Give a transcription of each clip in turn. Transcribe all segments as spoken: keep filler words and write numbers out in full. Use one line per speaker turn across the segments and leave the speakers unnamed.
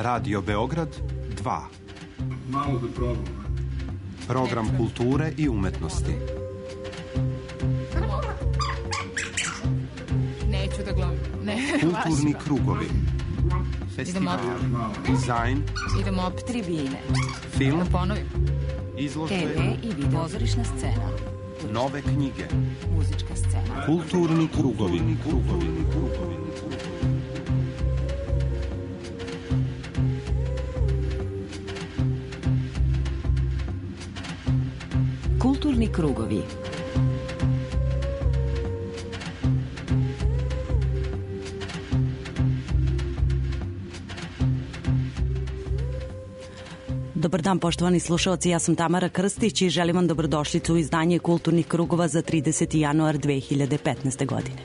Radio Beograd dva.
Malo da probam.
Program kulture i umetnosti.
Neću da glumim. Ne,
kulturni krugovi. Festival, dizajn.
Idemo opet tribine.
Film.
Da ponovim.
Izložbe.
te ve i video. Pozorišna scena.
Nove knjige.
Muzička scena.
Kulturni krugovi. Krugovi. Krugovi.
Kulturni krugovi. Dobar dan, poštovani slušalci, ja sam Tamara Krstić i želim vam dobrodošlicu u izdanje Kulturnih krugova za trideseti januar dve hiljade petnaeste. godine.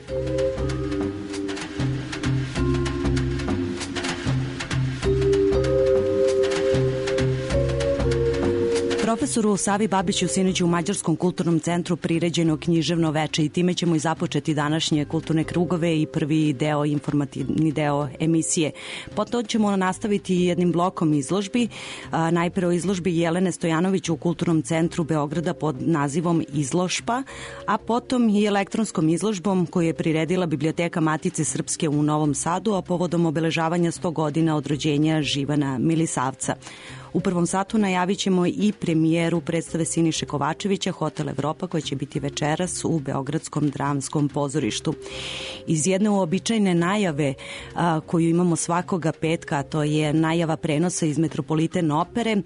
Profesoru Savi Babiću sinoć u Mađarskom kulturnom centru priređeno književno veče i time ćemo i započeti današnje kulturne krugove i prvi deo, informativni deo emisije. Potom ćemo nastaviti jednim blokom izložbi, a, najpre o izložbi Jelene Stojanović u Kulturnom centru Beograda pod nazivom Izložba, a potom i elektronskom izložbom koju je priredila Biblioteka Matice Srpske u Novom Sadu, a povodom obeležavanja sto godina od rođenja Živana Milisavca. U prvom satu najavit ćemo i premijeru predstave Siniše Kovačevića Hotel Evropa koja će biti večeras u Beogradskom dramskom pozorištu. Iz jedne uobičajene najave a, koju imamo svakoga petka, a to je najava prenosa iz Metropoliten opere,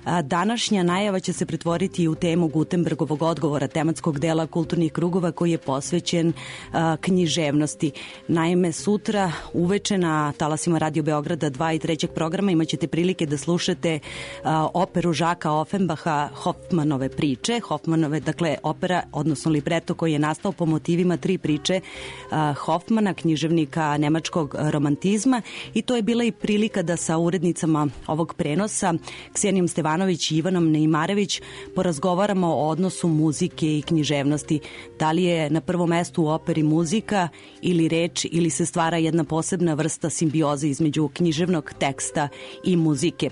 a, današnja najava će se pretvoriti u temu Gutenbergovog odgovora, tematskog dela kulturnih krugova koji je posvećen a, književnosti. Naime, sutra uveče na talasima Radio Beograda dva i trećeg programa imaćete prilike da slušate operu Žaka Ofenbaha Hofmanove priče. Hofmanove, dakle, opera, odnosno libreto koji je nastao po motivima tri priče Hofmana, književnika nemačkog romantizma, i to je bila i prilika da sa urednicama ovog prenosa, Ksenijom Stevanović i Ivanom Neimarević, porazgovaramo o odnosu muzike i književnosti. Da li je na prvom mestu u operi muzika ili reč, ili se stvara jedna posebna vrsta simbioze između književnog teksta i muzike.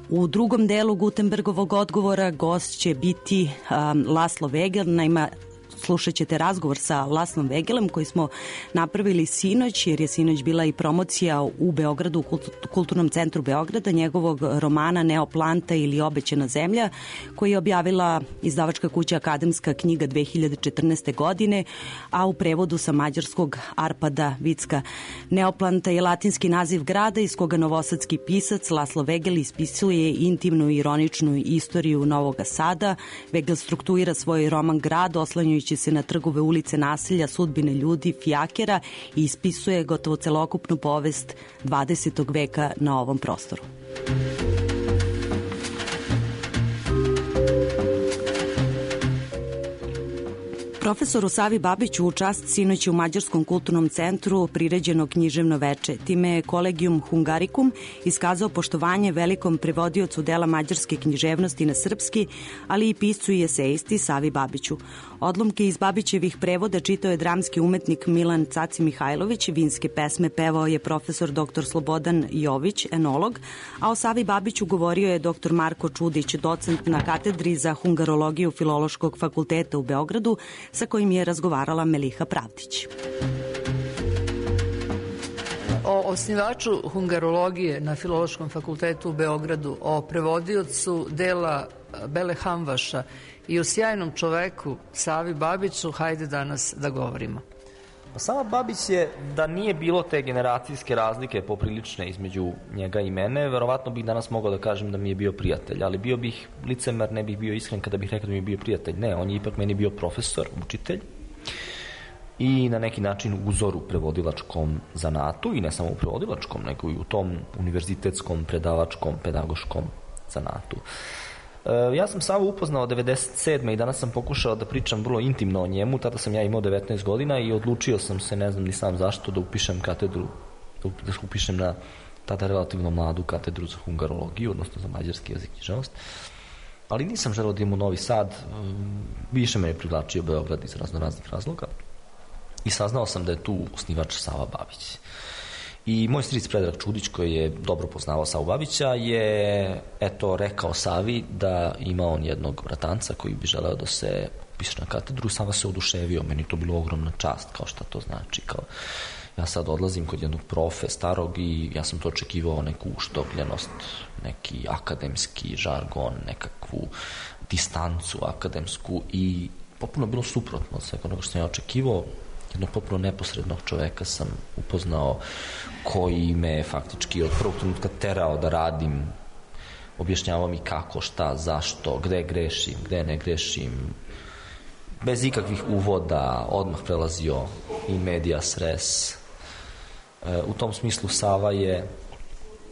U drugom delu Gutenbergovog odgovora gost će biti um, Laslo Vegel. Naime, slušat ćete razgovor sa Laslom Vegelem koji smo napravili sinoć, jer je sinoć bila i promocija u Beogradu, u Kulturnom centru Beograda, njegovog romana Neoplanta ili Obećana zemlja, koji je objavila izdavačka kuća Akademska knjiga dve hiljade četrnaeste. godine, a u prevodu sa mađarskog Arpada Vicka. Neoplanta je latinski naziv grada iz koga novosadski pisac Laslo Vegel ispisuje intimnu i ironičnu istoriju Novog Sada. Vegel struktuira svoj roman Grad oslanjajući se na trgove, ulice, naselja, sudbine ljudi, fijakera i ispisuje gotovo celokupnu povest dvadesetog veka na ovom prostoru. Profesoru Savi Babiću u čast sinoć u Mađarskom kulturnom centru priređeno književno veče. Time je Collegium Hungaricum iskazao poštovanje velikom prevodiocu dela mađarske književnosti na srpski, ali i piscu i esejisti Savi Babiću. Odlomke iz Babićevih prevoda čitao je dramski umetnik Milan Caci Mihajlović, vinske pesme pevao je profesor doktor Slobodan Jović, enolog, a o Savi Babiću govorio je doktor Marko Čudić, docent na katedri za hungarologiju Filološkog fakulteta u Beogradu, sa kojim je razgovarala Meliha Pravdić.
O osnivaču hungarologije na Filološkom fakultetu u Beogradu, o prevodiocu dela Bele Hamvaša i o sjajnom čoveku Savi Babiću, hajde danas da govorimo.
Sava Babić je, da nije bilo te generacijske razlike poprilične između njega i mene, verovatno bih danas mogao da kažem da mi je bio prijatelj, ali bio bih licemer, ne bih bio iskren kada bih rekao da mi je bio prijatelj. Ne, on je ipak meni bio profesor, učitelj i na neki način uzor u prevodilačkom zanatu, i ne samo u prevodilačkom, nego i u tom univerzitetskom, predavačkom, pedagoškom zanatu. Ja sam Savu upoznao devedeset sedme i danas sam pokušao da pričam vrlo intimno o njemu. Tada sam ja imao devetnaest godina i odlučio sam se, ne znam ni sam zašto, da upišem katedru, da upišem na tada relativno mladu katedru za hungarologiju, odnosno za mađarski jezik i književnost. Ali nisam želeo da idem u Novi Sad, više me je privlačio Beograd iz razno raznih razloga i saznao sam da je tu osnivač Sava Babić. I moj stric Predrag Čudić, koji je dobro poznavao Savu Babića, je eto rekao Savi da ima on jednog bratanca koji bi želeo da se upiše na katedru. Sava se oduševio, meni to bilo ogromna čast, kao šta to znači, kao ja sad odlazim kod jednog profe starog i ja sam to očekivao, neku uštopljenost, neki akademski žargon, nekakvu distancu akademsku i potpuno bilo suprotno od svega onoga što sam ja očekivao. Jednog potpuno neposrednog čoveka sam upoznao koji me faktički od prvog trenutka terao da radim, objašnjavao mi kako, šta, zašto, gde grešim, gde ne grešim, bez ikakvih uvoda, odmah prelazio i medias res. U tom smislu Sava je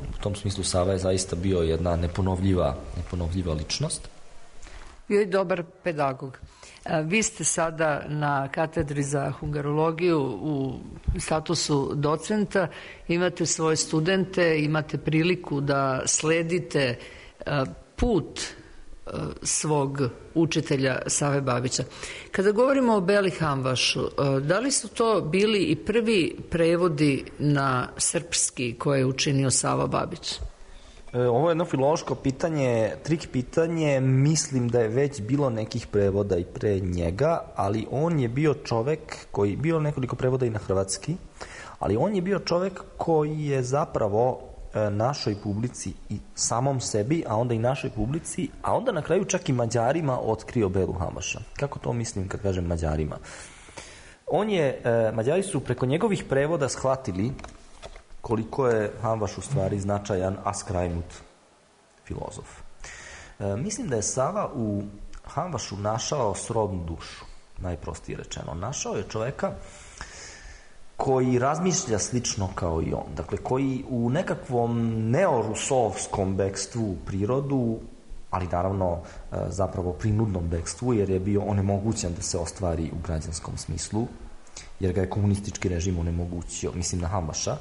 u tom smislu Sava je zaista bio jedna neponovljiva, neponovljiva ličnost.
Bio je dobar pedagog. Vi ste sada na katedri za hungarologiju u statusu docenta, imate svoje studente, imate priliku da sledite put svog učitelja Save Babića. Kada govorimo o Beli Hamvašu, da li su to bili i prvi prevodi na srpski koje je učinio Sava Babić?
Ovo je jedno filološko pitanje, trik pitanje, mislim da je već bilo nekih prevoda i pre njega, ali on je bio čovek koji, bio nekoliko prevoda i na hrvatski, ali on je bio čovek koji je zapravo našoj publici i samom sebi, a onda i našoj publici, a onda na kraju čak i Mađarima otkrio Belu Hamvaša. Kako to mislim kad kažem Mađarima? On je, Mađari su preko njegovih prevoda shvatili koliko je Hamvaš u stvari značajan, a skrajnut filozof. E, mislim da je Sava u Hamvašu našao srodnu dušu, najprostije rečeno. Našao je čoveka koji razmišlja slično kao i on. Dakle, koji u nekakvom neorusovskom bekstvu u prirodu, ali naravno zapravo prinudnom bekstvu, jer je bio onemogućen da se ostvari u građanskom smislu, jer ga je komunistički režim onemogućio, mislim na Hamvaša,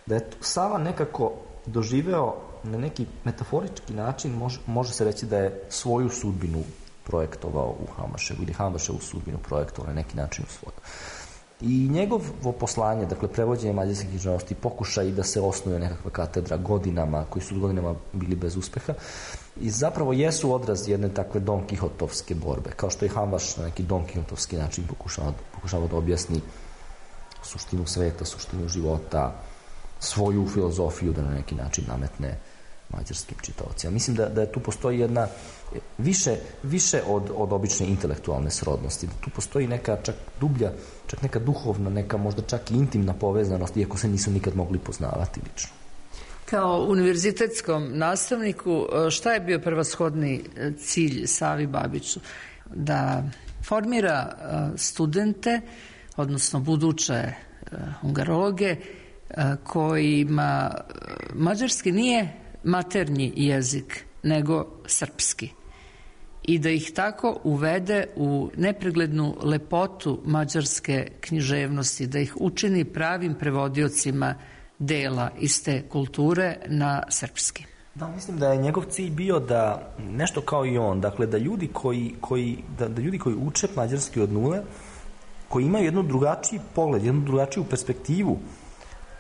da je Sava nekako doživeo na neki metaforički način, može, može se reći da je svoju sudbinu projektovao u Hamvaševu ili Hamvaševu sudbinu projektovao na neki način u svoju. I njegovo poslanje, dakle prevođenje mađarske književnosti, pokušaj da se osnuje nekakva katedra godinama, koji su godinama bili bez uspeha, i zapravo jesu odraz jedne takve Don Kihotovske borbe, kao što je Hamvaš na neki Don Kihotovski način pokušava, pokušava da objasni suštinu sveta, suštinu života, svoju filozofiju da na neki način nametne mađarskim čitaocima. Mislim da, da tu postoji jedna više, više od, od obične intelektualne srodnosti, da tu postoji neka čak dublja, čak neka duhovna, neka možda čak i intimna povezanost, iako se nisu nikad mogli poznavati lično.
Kao univerzitetskom nastavniku, šta je bio prvoshodni cilj Savi Babiću? Da formira studente, odnosno buduće hungarologe, kojima mađarski nije maternji jezik, nego srpski. I da ih tako uvede u nepreglednu lepotu mađarske književnosti, da ih učini pravim prevodiocima dela iz te kulture na srpski.
Da, mislim da je njegov cilj bio da, nešto kao i on, dakle da ljudi koji, koji, da, da ljudi koji uče mađarski od nule, koji imaju jednu drugačiji pogled, jednu drugačiju perspektivu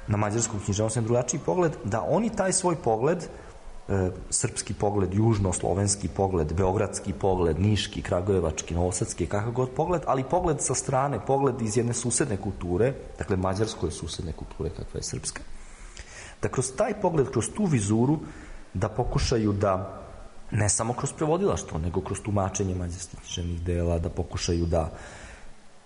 na mađarsku književnost, jedan drugačiji pogled, da oni taj svoj pogled, e, srpski pogled, južno-slovenski pogled, beogradski pogled, niški, kragujevački, novosadski, kakav god pogled, ali pogled sa strane, pogled iz jedne susedne kulture, dakle mađarskoj susedne kulture kakva je srpska, da kroz taj pogled, kroz tu vizuru, da pokušaju da, ne samo kroz prevodilaštvo, nego kroz tumačenje mađarskih književnih dela, da pokušaju da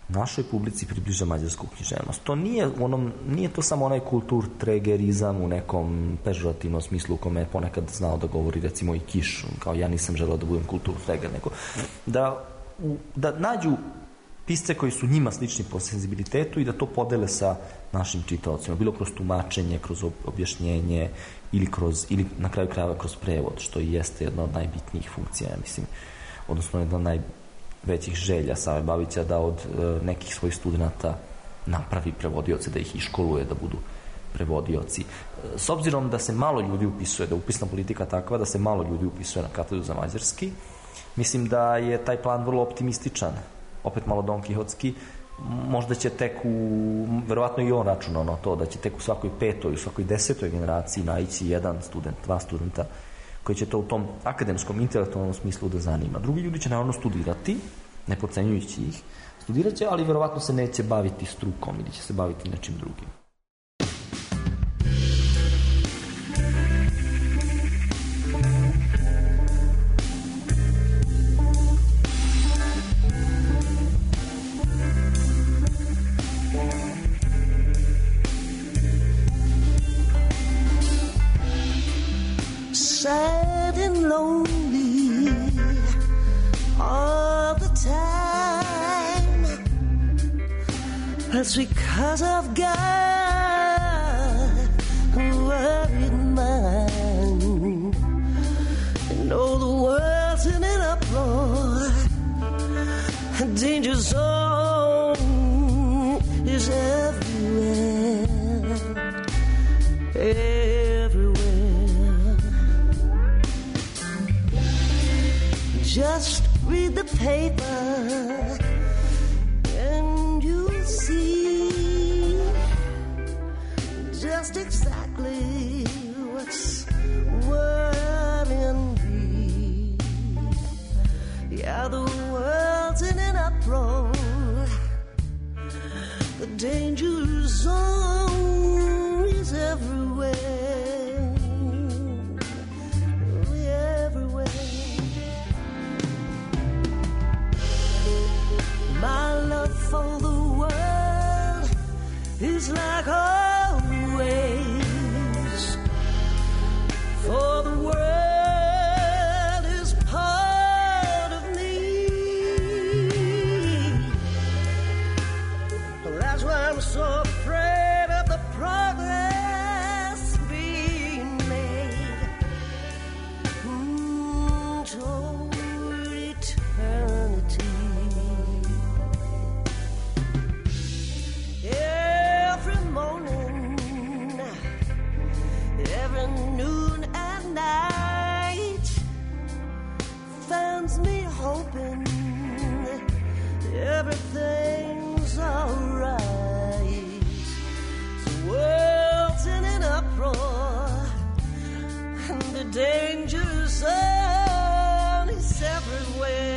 našoj publici približa mađarsku književnost. To nije, onom, nije to samo onaj kulturtregerizam u nekom pežorativnom smislu u kome je ponekad znao da govori recimo i Kiš, kao ja nisam želeo da budem kulturtreger, nego da, u, da nađu pisce koji su njima slični po senzibilitetu i da to podele sa našim čitaocima, bilo kroz tumačenje, kroz objašnjenje ili, kroz, ili na kraju krajeva kroz prevod, što i jeste jedna od najbitnijih funkcija, ja mislim, odnosno jedna od naj većih želja Save Babića da od e, nekih svojih studenta napravi prevodioce, da ih iškoluje da budu prevodioci. E, s obzirom da se malo ljudi upisuje, da je upisna politika takva da se malo ljudi upisuje na katedru za mađarski, mislim da je taj plan vrlo optimističan, opet malo Don Kihotski, možda će tek u, verovatno i on računao na to, da će tek u svakoj petoj, u svakoj desetoj generaciji naići jedan student, dva studenta koji će to u tom akademskom, intelektualnom smislu da zanima. Drugi ljudi će naravno studirati, ne podcenjujući ih, studirat će, ali verovatno se neće baviti strukom ili će se baviti nečim drugim.
Sad and lonely all the time. That's because I've got a worried mind. And all the world's in an uproar. A danger zone is everywhere. Everywhere. Just read the paper and you'll see just exactly what's worrying me. Yeah, the world's in an uproar. The danger zone is everywhere. My love for the world is like always, for the world is part of me. That's why I'm so afraid of the progress being made mm, toward eternity. Every morning, every noon and night finds me hoping everything's alright. The world's in an uproar and the danger zone is everywhere.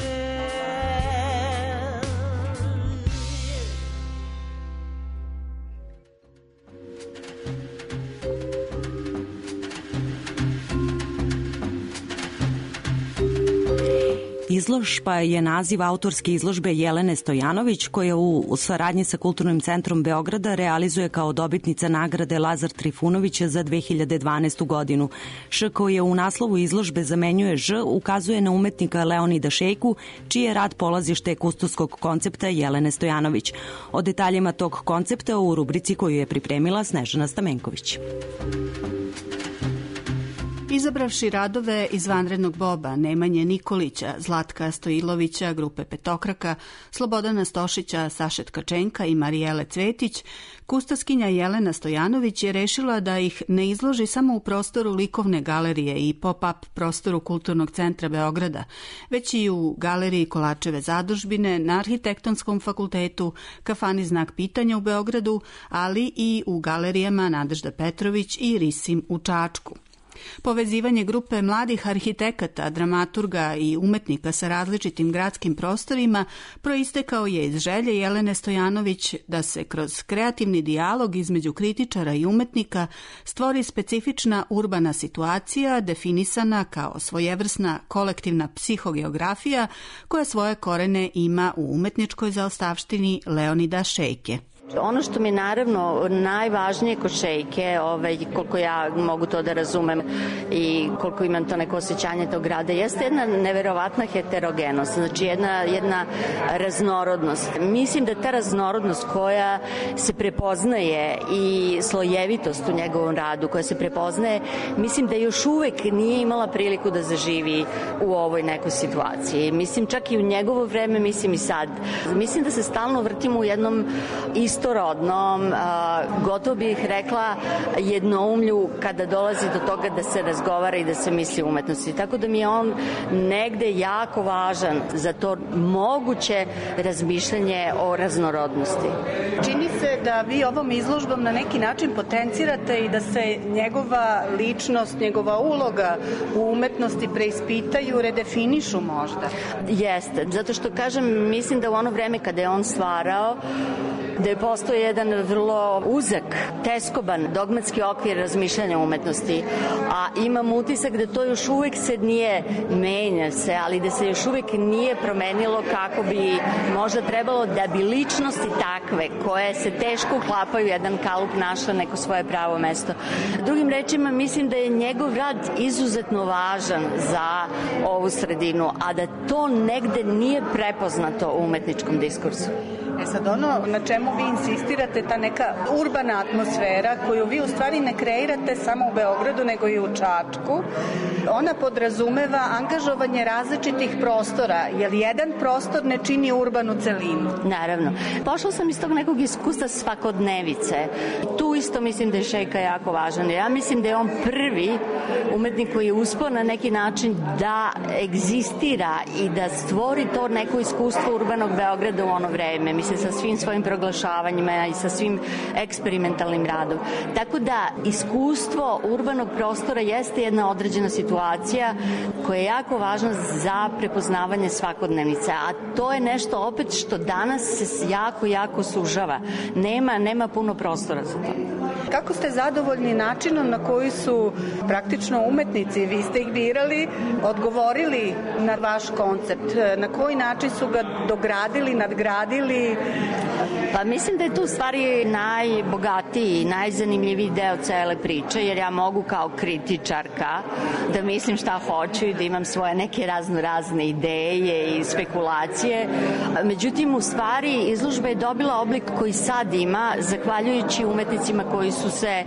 Izložba je naziv autorske izložbe Jelene Stojanović, koja u saradnji sa Kulturnim centrom Beograda realizuje kao dobitnica nagrade Lazar Trifunović za dve hiljade dvanaestu godinu. Š koji u naslovu izložbe zamenjuje Ž ukazuje na umetnika Leonida Šejku, čiji je rad polazište kustovskog koncepta Jelene Stojanović. O detaljima tog koncepta u rubrici koju je pripremila Snežana Stamenković.
Izabravši radove iz Vanrednog Boba, Nemanje Nikolića, Zlatka Stojilovića, grupe Petokraka, Slobodana Stošića, Saše Tkačenka i Marijele Cvetić, kustovskinja Jelena Stojanović je rešila da ih ne izloži samo u prostoru likovne galerije i pop-up prostoru Kulturnog centra Beograda, već i u galeriji Kolačeve zadužbine, na Arhitektonskom fakultetu, kafani Znak pitanja u Beogradu, ali i u galerijama Nadežda Petrović i Risim u Čačku. Povezivanje grupe mladih arhitekata, dramaturga i umetnika sa različitim gradskim prostorima proistekao je iz želje Jelene Stojanović da se kroz kreativni dijalog između kritičara i umetnika stvori specifična urbana situacija definisana kao svojevrsna kolektivna psihogeografija koja svoje korene ima u umetničkoj zaostavštini Leonida Šejke.
Ono što mi je naravno najvažnije kod Šejke, ovaj, koliko ja mogu to da razumem i koliko imam to neko osjećanje tog grada, jeste jedna neverovatna heterogenost, znači jedna, jedna raznorodnost. Mislim da ta raznorodnost koja se prepoznaje i slojevitost u njegovom radu koja se prepoznaje, mislim da još uvek nije imala priliku da zaživi u ovoj nekoj situaciji. Mislim čak i u njegovo vreme, mislim i sad. Mislim da se stalno vrtimo u jednom istom istorodnom, gotovo bih rekla jednoumlju kada dolazi do toga da se razgovara i da se misli o umetnosti. Tako da mi je on negde jako važan za to moguće razmišljanje o raznorodnosti.
Čini se da vi ovom izložbom na neki način potencirate i da se njegova ličnost, njegova uloga u umetnosti preispitaju, redefinišu možda.
Jeste, zato što kažem, mislim da u ono vreme kada je on stvarao, da je postao jedan vrlo uzak, teskoban, dogmatski okvir razmišljanja umetnosti, a imam utisak da to još uvek se nije menja se, ali da se još uvek nije promenilo kako bi možda trebalo da bi ličnosti takve, koje se teško uklapaju jedan kalup, našla neko svoje pravo mesto. Drugim rečima, mislim da je njegov rad izuzetno važan za ovu sredinu, a da to negde nije prepoznato u umetničkom diskursu.
E sad ono na čemu vi insistirate, ta neka urbana atmosfera koju vi u stvari ne kreirate samo u Beogradu nego i u Čačku, ona podrazumeva angažovanje različitih prostora, jer jedan prostor ne čini urbanu celinu.
Naravno. Pošla sam iz tog nekog iskustva svakodnevice. Tu isto mislim da je Šejka jako važan. Ja mislim da je on prvi umetnik koji je uspeo na neki način da egzistira i da stvori to neko iskustvo urbanog Beograda u ono vreme. Mislim, sa svim svojim proglašavanjima i sa svim eksperimentalnim radom. Tako da iskustvo urbanog prostora jeste jedna određena situacija koja je jako važna za prepoznavanje svakodnevnice, a to je nešto opet što danas se jako, jako sužava. Nema, nema puno prostora za to.
Kako ste zadovoljni načinom na koji su praktično umetnici, vi ste ih birali, odgovorili na vaš koncept? Na koji način su ga dogradili, nadgradili?
Pa mislim da je tu u stvari najbogatiji, najzanimljiviji deo cele priče, jer ja mogu kao kritičarka da mislim šta hoću i da imam svoje neke razno razne ideje i spekulacije. Međutim, u stvari izložba je dobila oblik koji sad ima, zahvaljujući umetnicima koji su se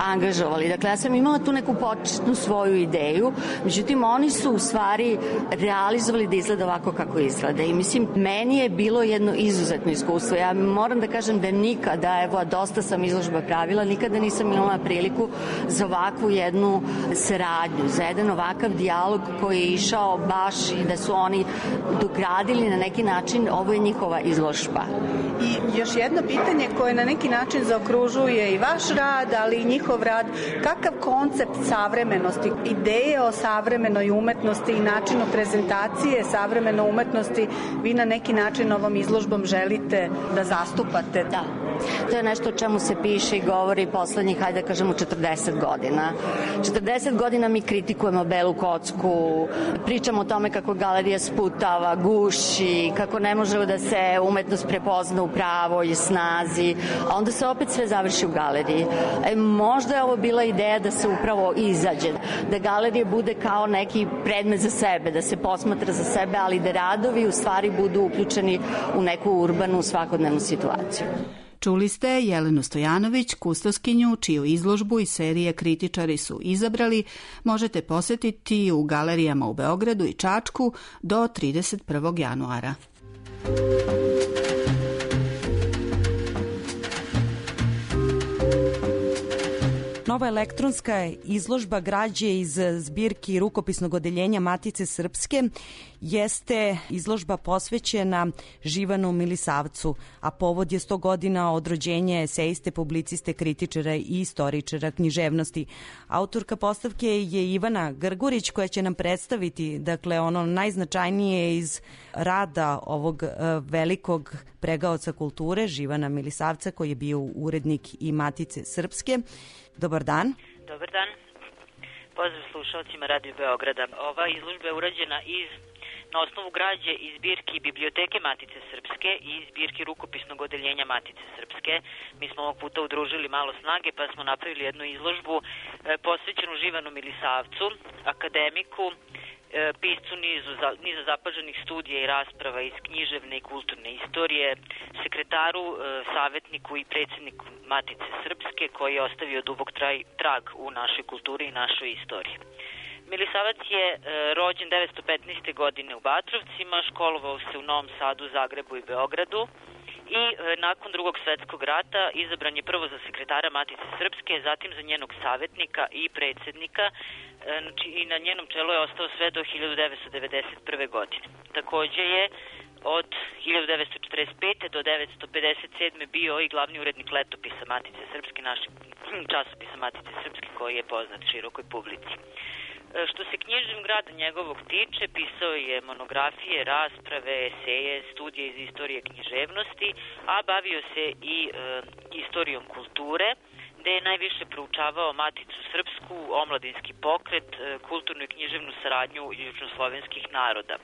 angažovali. Dakle, ja sam imala tu neku početnu svoju ideju, međutim, oni su u stvari realizovali da izgleda ovako kako izgleda. I mislim, meni je bilo jedno izuzetno iskustvo. Ja moram da kažem da nikada, evo, dosta sam izložba pravila, nikada nisam imala priliku za ovakvu jednu saradnju, za jedan ovakav dijalog koji je išao baš i da su oni dogradili na neki način, ovo je njihova izložba.
I još jedno pitanje koje na neki način zaokružuje i vaš rad, ali i njihov rad, kakav koncept savremenosti, ideje o savremenoj umetnosti i načinu prezentacije savremene umetnosti vi na neki način ovom izložbom želite da zastupate?
Da. To je nešto o čemu se piše i govori poslednjih, hajde da kažemo, četrdeset godina. četrdeset godina mi kritikujemo belu kocku, pričamo o tome kako galerija sputava, guši, kako ne može da se umetnost prepozna u pravoj snazi, a onda se opet sve završi u galeriji. E, možda je ovo bila ideja da se upravo izađe, da galerija bude kao neki predmet za sebe, da se posmatra za sebe, ali da radovi u stvari budu uključeni u neku urbanu svakodnevnu situaciju.
Čuli ste Jelenu Stojanović, kustoskinju, čiju izložbu iz serije Kritičari su izabrali, možete posetiti u galerijama u Beogradu i Čačku do trideset prvog januara.
Nova elektronska izložba građe iz zbirki rukopisnog odeljenja Matice Srpske jeste izložba posvećena Živanu Milisavcu, a povod je sto godina od rođenja esejiste, publiciste, kritičara i istoričara književnosti. Autorka postavke je Ivana Grgurić, koja će nam predstaviti, dakle, ono najznačajnije iz rada ovog uh, velikog pregaoca kulture, Živana Milisavca, koji je bio urednik i Matice Srpske. Dobar dan.
Dobar dan. Pozdrav slušalcima Radio Beograda. Ova izložba je urađena iz, na osnovu građe iz zbirki Biblioteke Matice Srpske i zbirki rukopisnog odeljenja Matice Srpske. Mi smo ovog puta udružili malo snage pa smo napravili jednu izložbu e, posvećenu Živanu Milisavcu, akademiku, e, piscu nizu, za, niza zapaženih studija i rasprava iz književne i kulturne istorije, sekretaru, e, savjetniku i predsjedniku Matice Srpske, koji je ostavio dubok traj, trag u našoj kulturi i našoj istoriji. Milisavac je e, rođen devetsto petnaeste. godine u Batrovcima, školovao se u Novom Sadu, Zagrebu i Beogradu i e, nakon drugog svetskog rata izabran je prvo za sekretara Matice Srpske, zatim za njenog savjetnika i predsjednika, e, znači, i na njenom čelu je ostao sve do hiljadu devetsto devedeset prve. godine. Takođe je od hiljadu devetsto četrdeset pete do devetsto pedeset sedme bio i glavni urednik letopisa Matice Srpske, našeg časopisa Matice Srpske, koji je poznat širokoj publici. Što se književnog rada njegovog tiče, pisao je monografije, rasprave, eseje, studije iz istorije književnosti, a bavio se i e, istorijom kulture, gde je najviše proučavao Maticu Srpsku, omladinski pokret, e, kulturnu i književnu saradnju južnoslovenskih naroda.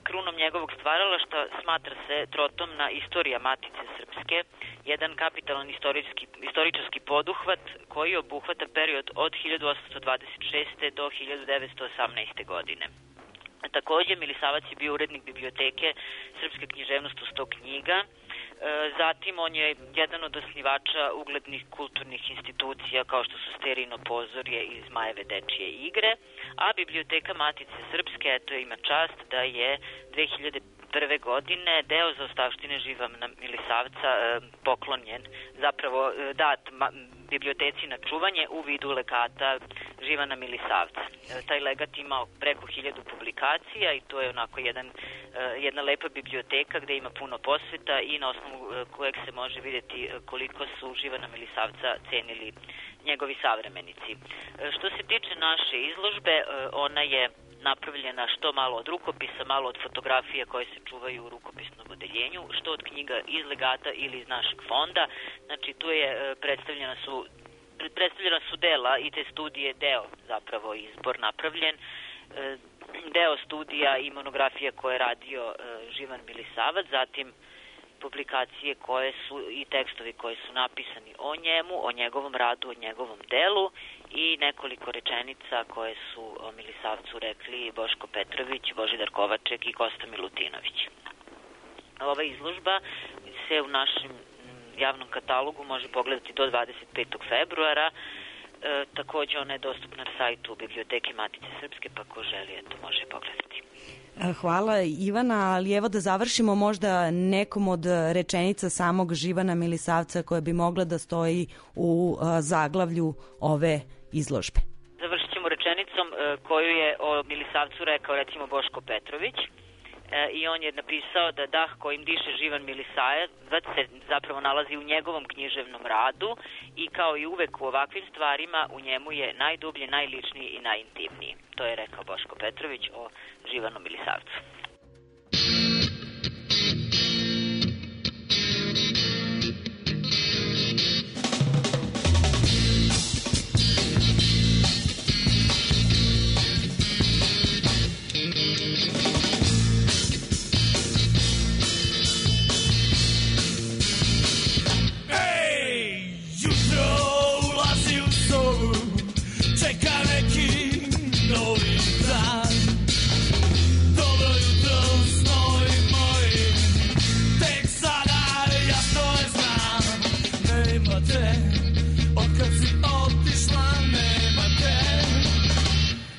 Krunom njegovog stvaralaštva smatra se trotomna istorija Matice Srpske, jedan kapitalan istorijski, istoričarski poduhvat koji obuhvata period od hiljadu osamsto dvadeset šeste. do hiljadu devetsto osamnaeste. godine. Takođe, Milisavac je bio urednik biblioteke Srpske književnosti u sto knjiga. Zatim, on je jedan od osnivača uglednih kulturnih institucija kao što su Sterino pozorje i Zmajeve dečije igre, a biblioteka Matice Srpske, eto, ima čast da je dve hiljade prve. godine deo zaostavštine Živana Milisavca e, poklonjen, zapravo e, dat ma, biblioteci na čuvanje u vidu legata Živana Milisavca. E, taj legat ima preko hiljadu publikacija i to je onako jedan, e, jedna lepa biblioteka gde ima puno posveta i na osnovu e, kojeg se može vidjeti koliko su Živana Milisavca cenili njegovi savremenici. E, što se tiče naše izložbe, e, ona je napravljena što malo od rukopisa, malo od fotografija koje se čuvaju u rukopisnom odeljenju, što od knjiga iz legata ili iz našeg fonda. Znači, tu je predstavljena su, predstavljena su dela i te studije, deo zapravo izbor napravljen, deo studija i monografija koje je radio Živan Milisavac, zatim publikacije koje su i tekstovi koji su napisani o njemu, o njegovom radu, o njegovom delu i nekoliko rečenica koje su o Milisavcu rekli Boško Petrović, Božidar Kovaček i Kosta Milutinović. Ova izložba se u našem javnom katalogu može pogledati do dvadeset petog februara. E, takođe ona je dostupna na sajtu Biblioteke Matice Srpske, pa ko želi, eto, može pogledati.
Hvala Ivana, ali evo da završimo možda nekom od rečenica samog Živana Milisavca koja bi mogla da stoji u zaglavlju ove izložbe.
Završit ćemo rečenicom koju je o Milisavcu rekao recimo Boško Petrović i on je napisao da dah kojim diše Živan Milisavac se zapravo nalazi u njegovom književnom radu i kao i uvek u ovakvim stvarima u njemu je najdublje, najličniji i najintimniji. To je rekao Boško Petrović o Živanu Milisavcu.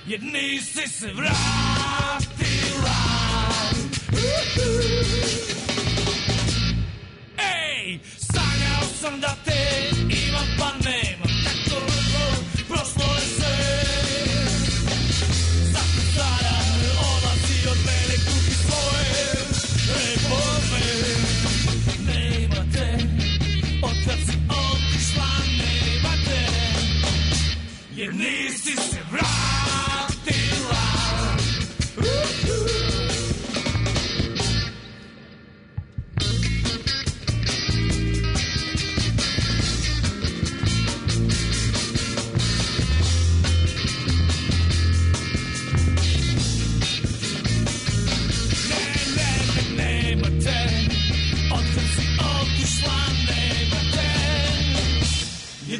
Jer nisi se vratila. Ej, sanjao sam da te imam pa nemam. Tako brzo prošlo je sve. Zato sada odlazi od mene kupi svoje reforme. Nema te, otkad si otišla nema te. Jer nisi se vratila.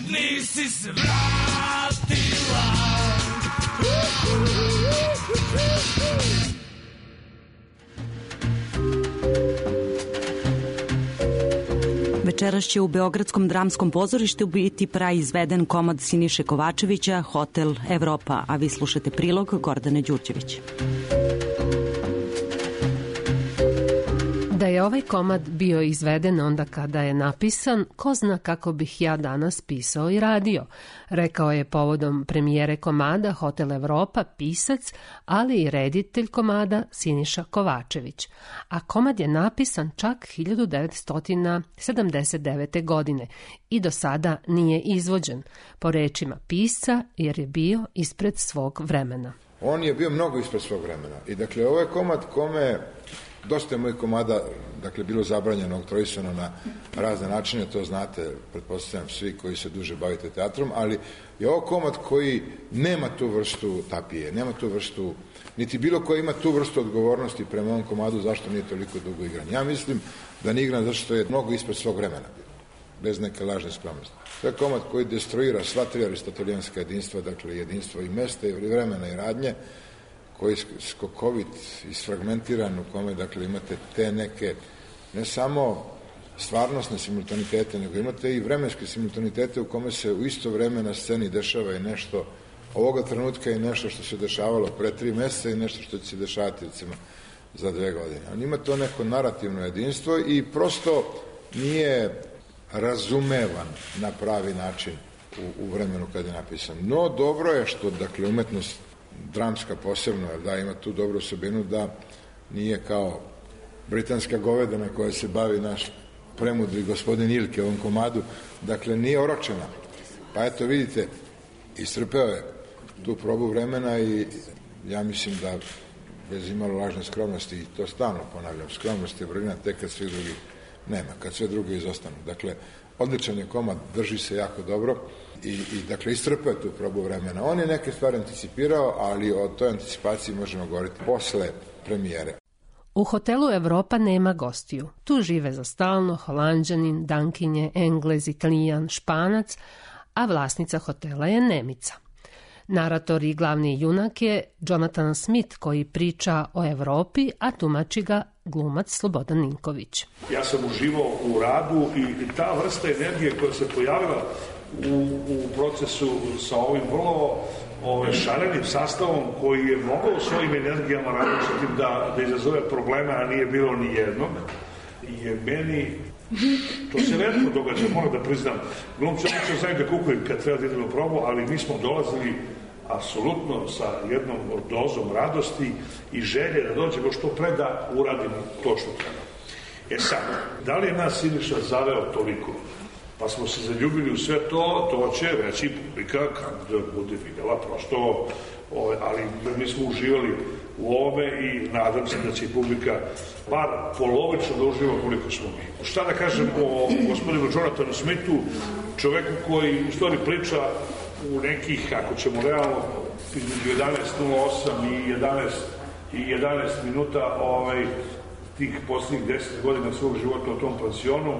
Nisi se vratila.
Večeras će u Beogradskom dramskom pozorištu biti praizveden komad Siniše Kovačevića Hotel Evropa, a vi slušate prilog Gordane Đurđević.
Da je
je ovaj komad bio izveden onda kada je napisan, ko zna kako bih ja danas pisao i radio, rekao je povodom premijere komada Hotel Evropa pisac, ali i reditelj komada Siniša Kovačević. A komad je napisan čak hiljadu devetsto sedamdeset devete. godine i do sada nije izvođen, po rečima pisca, jer je bio ispred svog vremena.
On je bio mnogo ispred svog vremena i dakle ovo je komad kome dosta je mojih komada dakle bilo zabranjeno, oktroisano na razne načine, to znate, pretpostavljam svi koji se duže bavite teatrom, ali je ovo komad koji nema tu vrstu tapije, nema tu vrstu, niti bilo ko ima tu vrstu odgovornosti prema ovom komadu zašto nije toliko dugo igran. Ja mislim da nije igran zato što je mnogo ispred svog vremena, bez neke lažne skromnosti. To je komad koji destruira sva tri aristotelijanska jedinstva, dakle jedinstvo i mesta i vremena i radnje, koji je skokovit, isfragmentiran, u kome dakle imate te neke, ne samo stvarnostne simultanitete, nego imate i vremenske simultanitete u kome se u isto vreme na sceni dešava i nešto ovoga trenutka i nešto što se dešavalo pre tri meseca i nešto što će se dešavati recimo za dve godine. On ima to neko narativno jedinstvo i prosto nije razumevan na pravi način u, u vremenu kad je napisan. No, dobro je što, dakle, umetnost dramska posebno, da ima tu dobru osobinu da nije kao britanska govedana koja se bavi naš premudri gospodin Ilke u ovom komadu, dakle, nije oročena. Pa eto, vidite, istrpeo je tu probu vremena i ja mislim da bez imalo lažne skromnosti, i to stalno ponavljam, skromnost je vrlina tek kad svih drugih nema, kad sve druge izostanu. Dakle, odličan je komad, drži se jako dobro i, i dakle, istrpeo tu probu vremena. On je neke stvari anticipirao, ali o toj anticipaciji možemo govoriti posle premijere.
U hotelu Evropa nema gostiju. Tu žive za stalno Holanđanin, Dankinje, Englez, Italijan, Španac, a vlasnica hotela je Nemica. Narator i glavni junak je Jonathan Smith, koji priča o Evropi, a tumači ga glumac Slobodan Ninković.
Ja sam uživao u radu i ta vrsta energije koja se pojavila u, u procesu sa ovim vrlo ove, šarenim sastavom koji je mogao svojim energijama različitim da, da izazove problema, a nije bilo ni jednog, je meni, to se retko događa, moram da priznam, glumci obično znaju da kukuju kad treba da idemo probu, ali mi smo dolazili apsolutno sa jednom dozom radosti i želje da dođemo što pre da uradimo to što treba. E sad, da li je nas Siniša zaveo toliko? Pa smo se zaljubili u sve to, to će reći publika kad bude vidjela, prosto, ove, ali mi smo uživali u ove i nadam se da će publika bar polovično da uživa koliko smo mi. Šta da kažem o gospodinu Jonathanu Smithu, čoveku koji u stvari priča u nekih, ako ćemo realno, između jedanaest nula osam i jedanaest, i jedanaest minuta ovaj, tih posljednjih deset godina svog života u tom pansionu,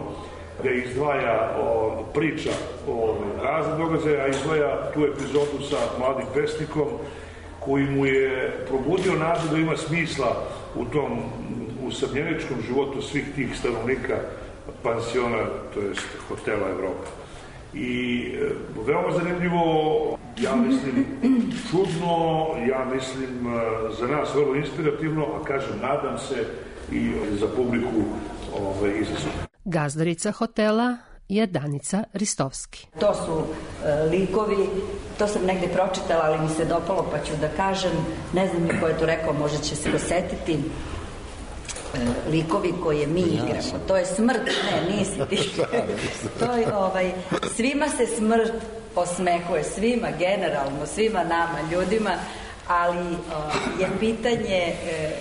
gde izdvaja o, priča o razne događaje, a izdvaja tu epizodu sa mladim pesnikom koji mu je probudio nadu da ima smisla u tom usamljeničkom životu svih tih stanovnika pansiona, to jest hotela Evropa. I e, veoma zanimljivo, ja mislim čudno, ja mislim e, za nas vrlo inspirativno, a kažem, nadam se i za publiku ovaj, izazovno.
Gazdarica hotela je Danica Ristovski.
To su e, likovi, to sam negde pročitala, ali mi se dopalo pa ću da kažem, ne znam ni ko je to rekao, možda će se dosetiti, e, likovi koje mi igramo. To je smrt, ne, nisi ti. To je, ovaj, svima se smrt osmehuje, svima, generalno, svima nama, ljudima, ali o, je pitanje e,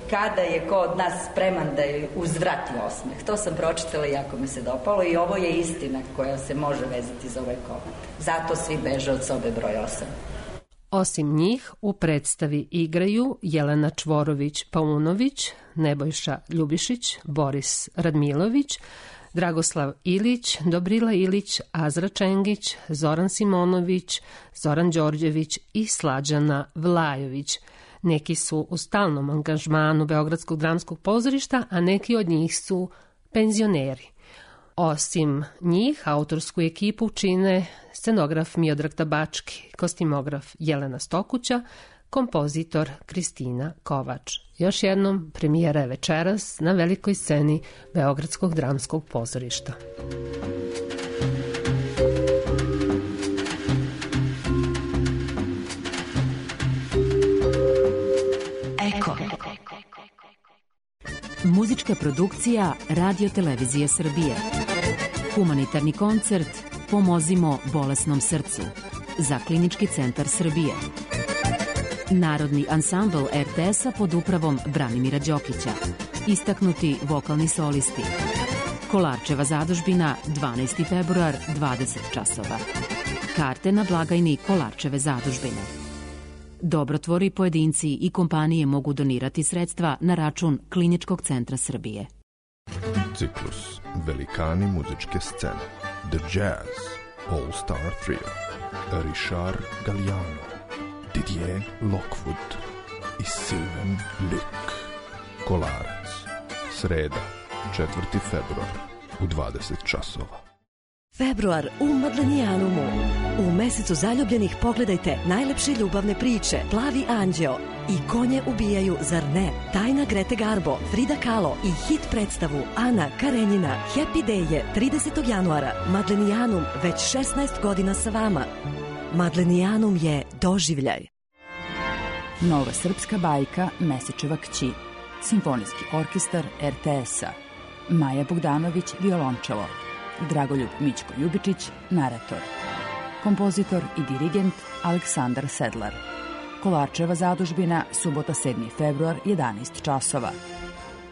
kada je ko od nas spreman da je uzvrati osmeh. To sam pročitala i jako mi se dopalo i ovo je istina koja se može vezati za ovaj komad. Zato svi beže od sobe broj osam.
Osim njih u predstavi igraju Jelena Čvorović-Paunović, Nebojša Ljubišić, Boris Radmilović, Dragoslav Ilić, Dobrila Ilić, Azra Čengić, Zoran Simonović, Zoran Đorđević i Slađana Vlajović. Neki su u stalnom angažmanu Beogradskog dramskog pozorišta, a neki od njih su penzioneri. Osim njih, autorsku ekipu čine scenograf Miodrag Tabački, kostimograf Jelena Stokuća, kompozitor Kristina Kovač. Još jednom, premijera je večeras na velikoj sceni Beogradskog dramskog pozorišta.
Eko. Muzička produkcija Radio Televizije Srbije. Humanitarni koncert Pomozimo bolesnom srcu za Klinički centar Srbije. Narodni ansambl er te es-a pod upravom Branimira Đokića. Istaknuti vokalni solisti. Kolarčeva zadužbina, dvanaesti februar, dvadeset časova. Karte na blagajni Kolarčeve zadužbine. Dobrotvori, pojedinci i kompanije mogu donirati sredstva na račun Kliničkog centra Srbije.
Ciklus Velikani muzičke scene. The Jazz All Star Trio. Richard Galliano, Didier Lockwood i Sylvain Luc. Kolarac. Sreda, četvrti februar u dvadeset časova.
Februar u Madlenijanumu. U mesecu zaljubljenih pogledajte najlepše ljubavne priče Plavi anđeo i Konje ubijaju, zar ne? Tajna Grete Garbo, Frida Kahlo i hit predstavu Ana Karenjina Happy Day je tridesetog januara. Madlenijanum već šesnaest godina sa vama. Madlenijanum je doživljaj.
Nova srpska bajka Mesečeva kći. Simfonijski orkestar er te es-a. Maja Bogdanović, violončelo. Dragoljub Mićko Ljubičić, narator. Kompozitor i dirigent Aleksandar Sedlar. Kolarčeva zadužbina, subota sedmi februar, jedanaest časova.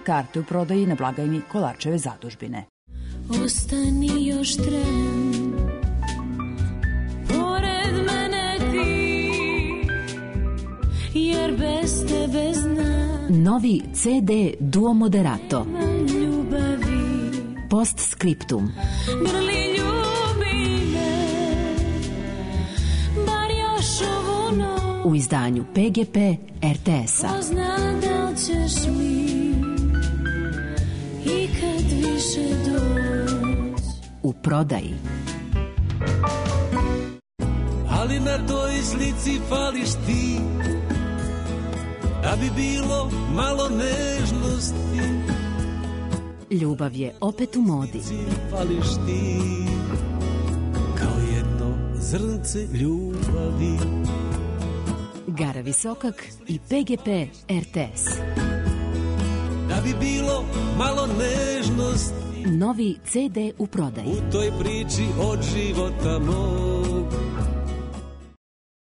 Karte u prodaji na blagajni Kolarčeve zadužbine.
Ostani još tren, pored mene ti, jer bez tebe znam.
Novi ce de Duo Moderato.
Ljubavi.
Postscriptum.
Grli ljubi me, bar još ovu noć.
U izdanju pe ge pe er te es-a.
Ko zna da li ćeš mi ikad više doći.
U prodaji.
Ali na toj slici fališ ti, da bi bilo malo nežnosti.
Ljubav je opet u modi.
Fališ ti, kao jedno zrnce ljubavi.
Gara Visokak i pe ge pe er te es.
Da bi bilo malo nežnosti.
Novi ce de u prodaji.
U toj priči od života mog.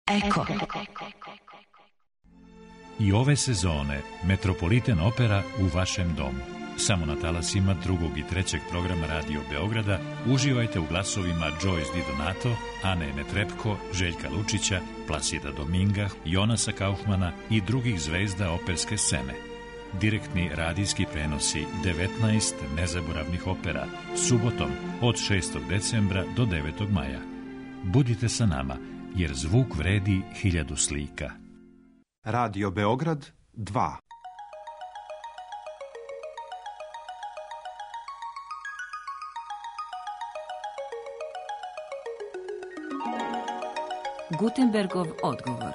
Eko.
I ove sezone Metropolitan Opera u vašem domu. Samo na talasima drugog i trećeg programa Radio Beograda uživajte u glasovima Joyce Di Donato, Ane Netrepko, Željka Lučića, Plasida Dominga, Jonasa Kaufmana i drugih zvezda operske scene. Direktni radijski prenosi devetnaest nezaboravnih opera, subotom od šestog decembra do devetog maja. Budite sa nama, jer zvuk vredi hiljadu slika.
Radio Beograd dva.
Gutenbergov odgovor.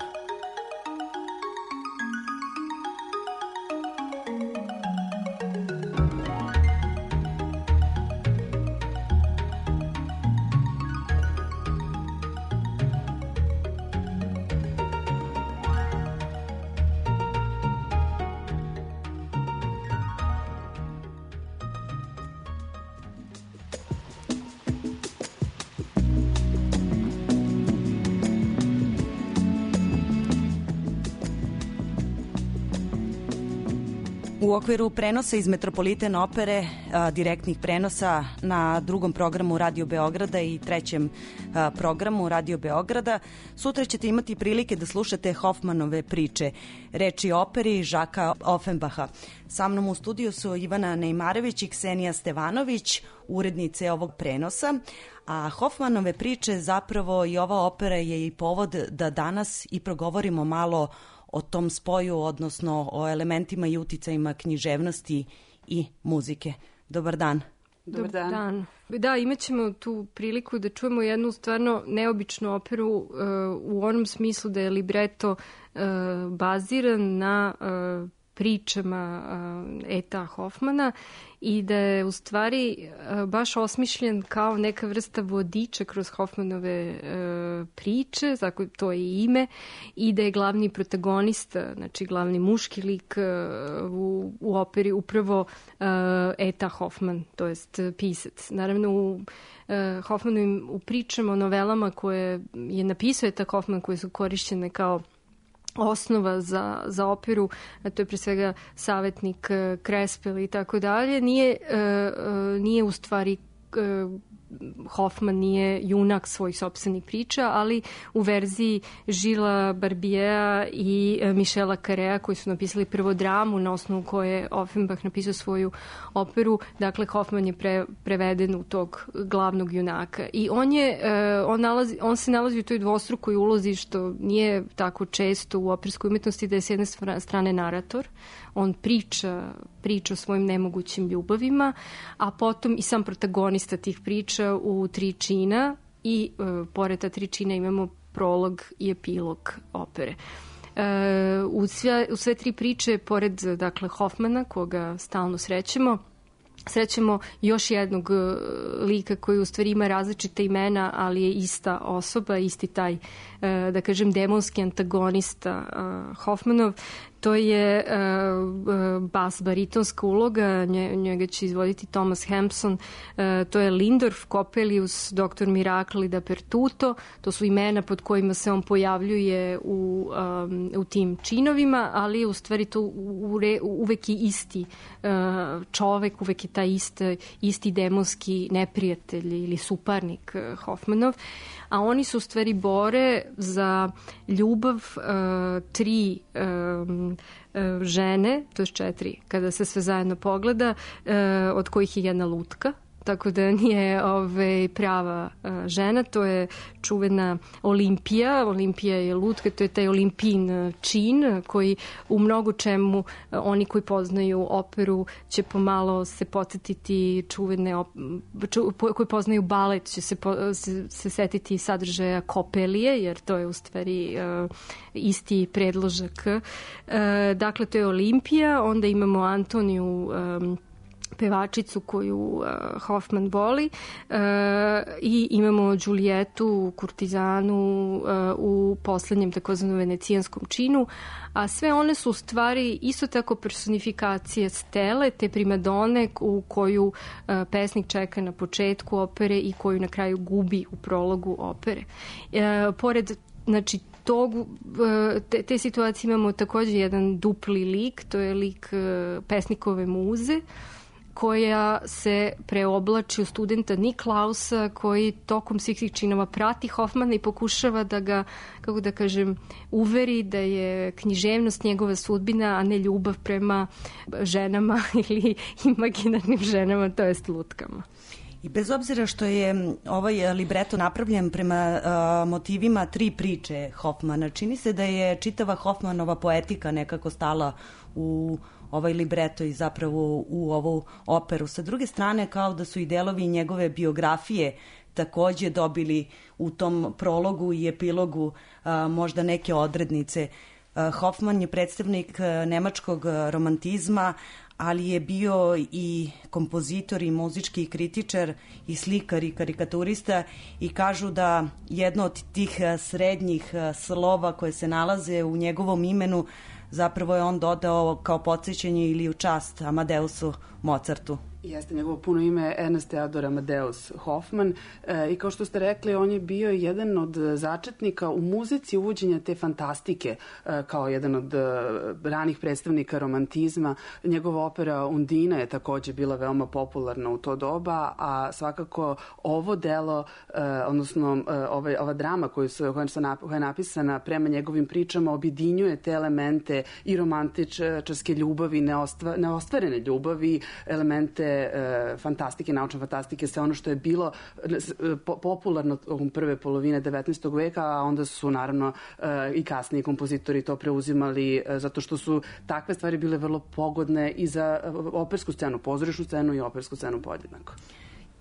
U okviru prenosa iz Metropolitan opere, a, direktnih prenosa na drugom programu Radio Beograda i trećem a, programu Radio Beograda, sutra ćete imati prilike da slušate Hofmanove priče, reči operi Žaka Offenbacha. Sa mnom u studiju su Ivana Nejmarević i Ksenija Stevanović, urednice ovog prenosa, a Hofmanove priče, zapravo i ova opera je i povod da danas i progovorimo malo o tom spoju, odnosno o elementima i uticajima književnosti i muzike. Dobar dan.
Dobar dan.
dan. Da, imat ćemo tu priliku da čujemo jednu stvarno neobičnu operu uh, u onom smislu da je libreto uh, baziran na uh, pričama uh, Eta Hoffmana i da je u stvari uh, baš osmišljen kao neka vrsta vodiča kroz Hoffmanove uh, priče, tako to je i ime, i da je glavni protagonista, znači glavni muški lik uh, u, u operi upravo uh, Eta Hoffman, to jest pisac. Naravno u uh, Hoffmanovim u pričama, o novelama koje je napisao Eta Hoffman, koje su korišćene kao osnova za, za operu, a to je pre svega Savetnik, Krespel i tako dalje, nije, uh, nije u stvari uh, Hoffman nije junak svojih sopstvenih priča, ali u verziji Žila Barbieja i Michela Carrea, koji su napisali prvo dramu na osnovu koje je Offenbach napisao svoju operu, dakle Hoffman je pre, preveden u tog glavnog junaka. I on, je, on, nalazi, on se nalazi u toj dvostrukoj ulozi, što nije tako često u operskoj umetnosti, da je s jedne strane narator, on priča, priča o svojim nemogućim ljubavima, a potom i sam protagonista tih priča u tri čina i e, pored ta tri čina imamo prolog i epilog opere. E, u, sve, u sve tri priče, pored dakle, Hoffmana, koga stalno srećemo, srećemo još jednog lika koji u stvari ima različite imena, ali je ista osoba, isti taj, da kažem, demonski antagonista Hoffmanov. To je uh, bas baritonska uloga, nje, njega će izvoditi Thomas Hampson, uh, to je Lindorf, Coppelius, doktor Miracle i Dappertuto, to su imena pod kojima se on pojavljuje u, um, u tim činovima, ali u stvari to ure, uvek je isti uh, čovek, uvek je taj isti, isti demonski neprijatelj ili suparnik uh, Hoffmanov, a oni su u stvari bore za ljubav uh, tri um, uh, žene, to je četiri, kada se sve zajedno pogleda, uh, od kojih je jedna lutka, tako da nije ove, prava uh, žena, to je čuvena Olimpija, Olimpija je lutka, to je taj Olimpijin čin koji u mnogo čemu uh, oni koji poznaju operu će pomalo se podsjetiti čuvene, op, ču, po, koji poznaju balet će se, po, se, se setiti sadržaja Kopelije, jer to je u stvari uh, isti predložak. Uh, dakle, to je Olimpija, onda imamo Antoniju um, pevačicu koju uh, Hoffman voli uh, i imamo Đulijetu, kurtizanu uh, u poslednjem takozvanom venecijanskom činu, a sve one su u stvari isto tako personifikacije Stele, te primadone u koju uh, pesnik čeka na početku opere i koju na kraju gubi u prologu opere. Uh, pored, znači, tog, te, te situacije imamo takođe jedan dupli lik, to je lik uh, pesnikove muze, koja se preoblači u studenta Niklausa, koji tokom svih svih činova prati Hoffmana i pokušava da ga, kako da kažem, uveri da je književnost njegova sudbina, a ne ljubav prema ženama ili imaginarnim ženama, to jest lutkama.
I bez obzira što je ovaj libreto napravljen prema uh, motivima tri priče Hoffmana, čini se da je čitava Hoffmanova poetika nekako stala u ovaj libreto i zapravo u ovu operu. Sa druge strane, kao da su i delovi njegove biografije takođe dobili u tom prologu i epilogu a, možda neke odrednice. A, Hoffman je predstavnik a, nemačkog romantizma, ali je bio i kompozitor i muzički kritičar i slikar i karikaturista i kažu da jedno od tih srednjih slova koje se nalaze u njegovom imenu zapravo je on dodao kao podsjećanje ili u čast Amadeusu Mozartu.
Jeste njegovo puno ime Ernst Theodor Amadeus Hoffman e, i kao što ste rekli, on je bio jedan od začetnika u muzici uvođenja te fantastike e, kao jedan od e, ranih predstavnika romantizma. Njegova opera Undina je takođe bila veoma popularna u to doba, a svakako ovo delo, e, odnosno e, ovaj, ova drama koju su, koja, su nap, koja je napisana prema njegovim pričama objedinjuje te elemente i romantičarske ljubavi, neostva, neostvarene ljubavi, elemente e, fantastike, naučne fantastike, sve ono što je bilo po, popularno u prve polovine devetnaestog veka, a onda su naravno e, i kasniji kompozitori to preuzimali e, zato što su takve stvari bile vrlo pogodne i za opersku scenu, pozorišnu scenu i opersku scenu podjednako.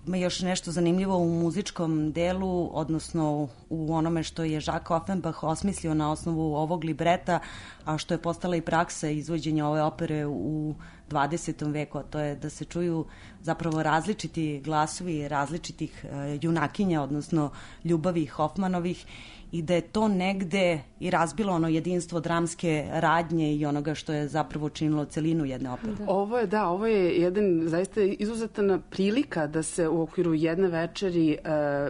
Ima još nešto zanimljivo u muzičkom delu, odnosno u onome što je Jacques Offenbach osmislio na osnovu ovog libreta, a što je postala i praksa izvođenja ove opere u dvadesetom veku, a to je da se čuju zapravo različiti glasovi različitih uh, junakinja, odnosno ljubavi Hoffmanovih, i da je to negde i razbilo ono jedinstvo dramske radnje i onoga što je zapravo činilo celinu jedne opere.
Da. Ovo je, da, ovo je jedan zaista izuzetna prilika da se u okviru jedne večeri e,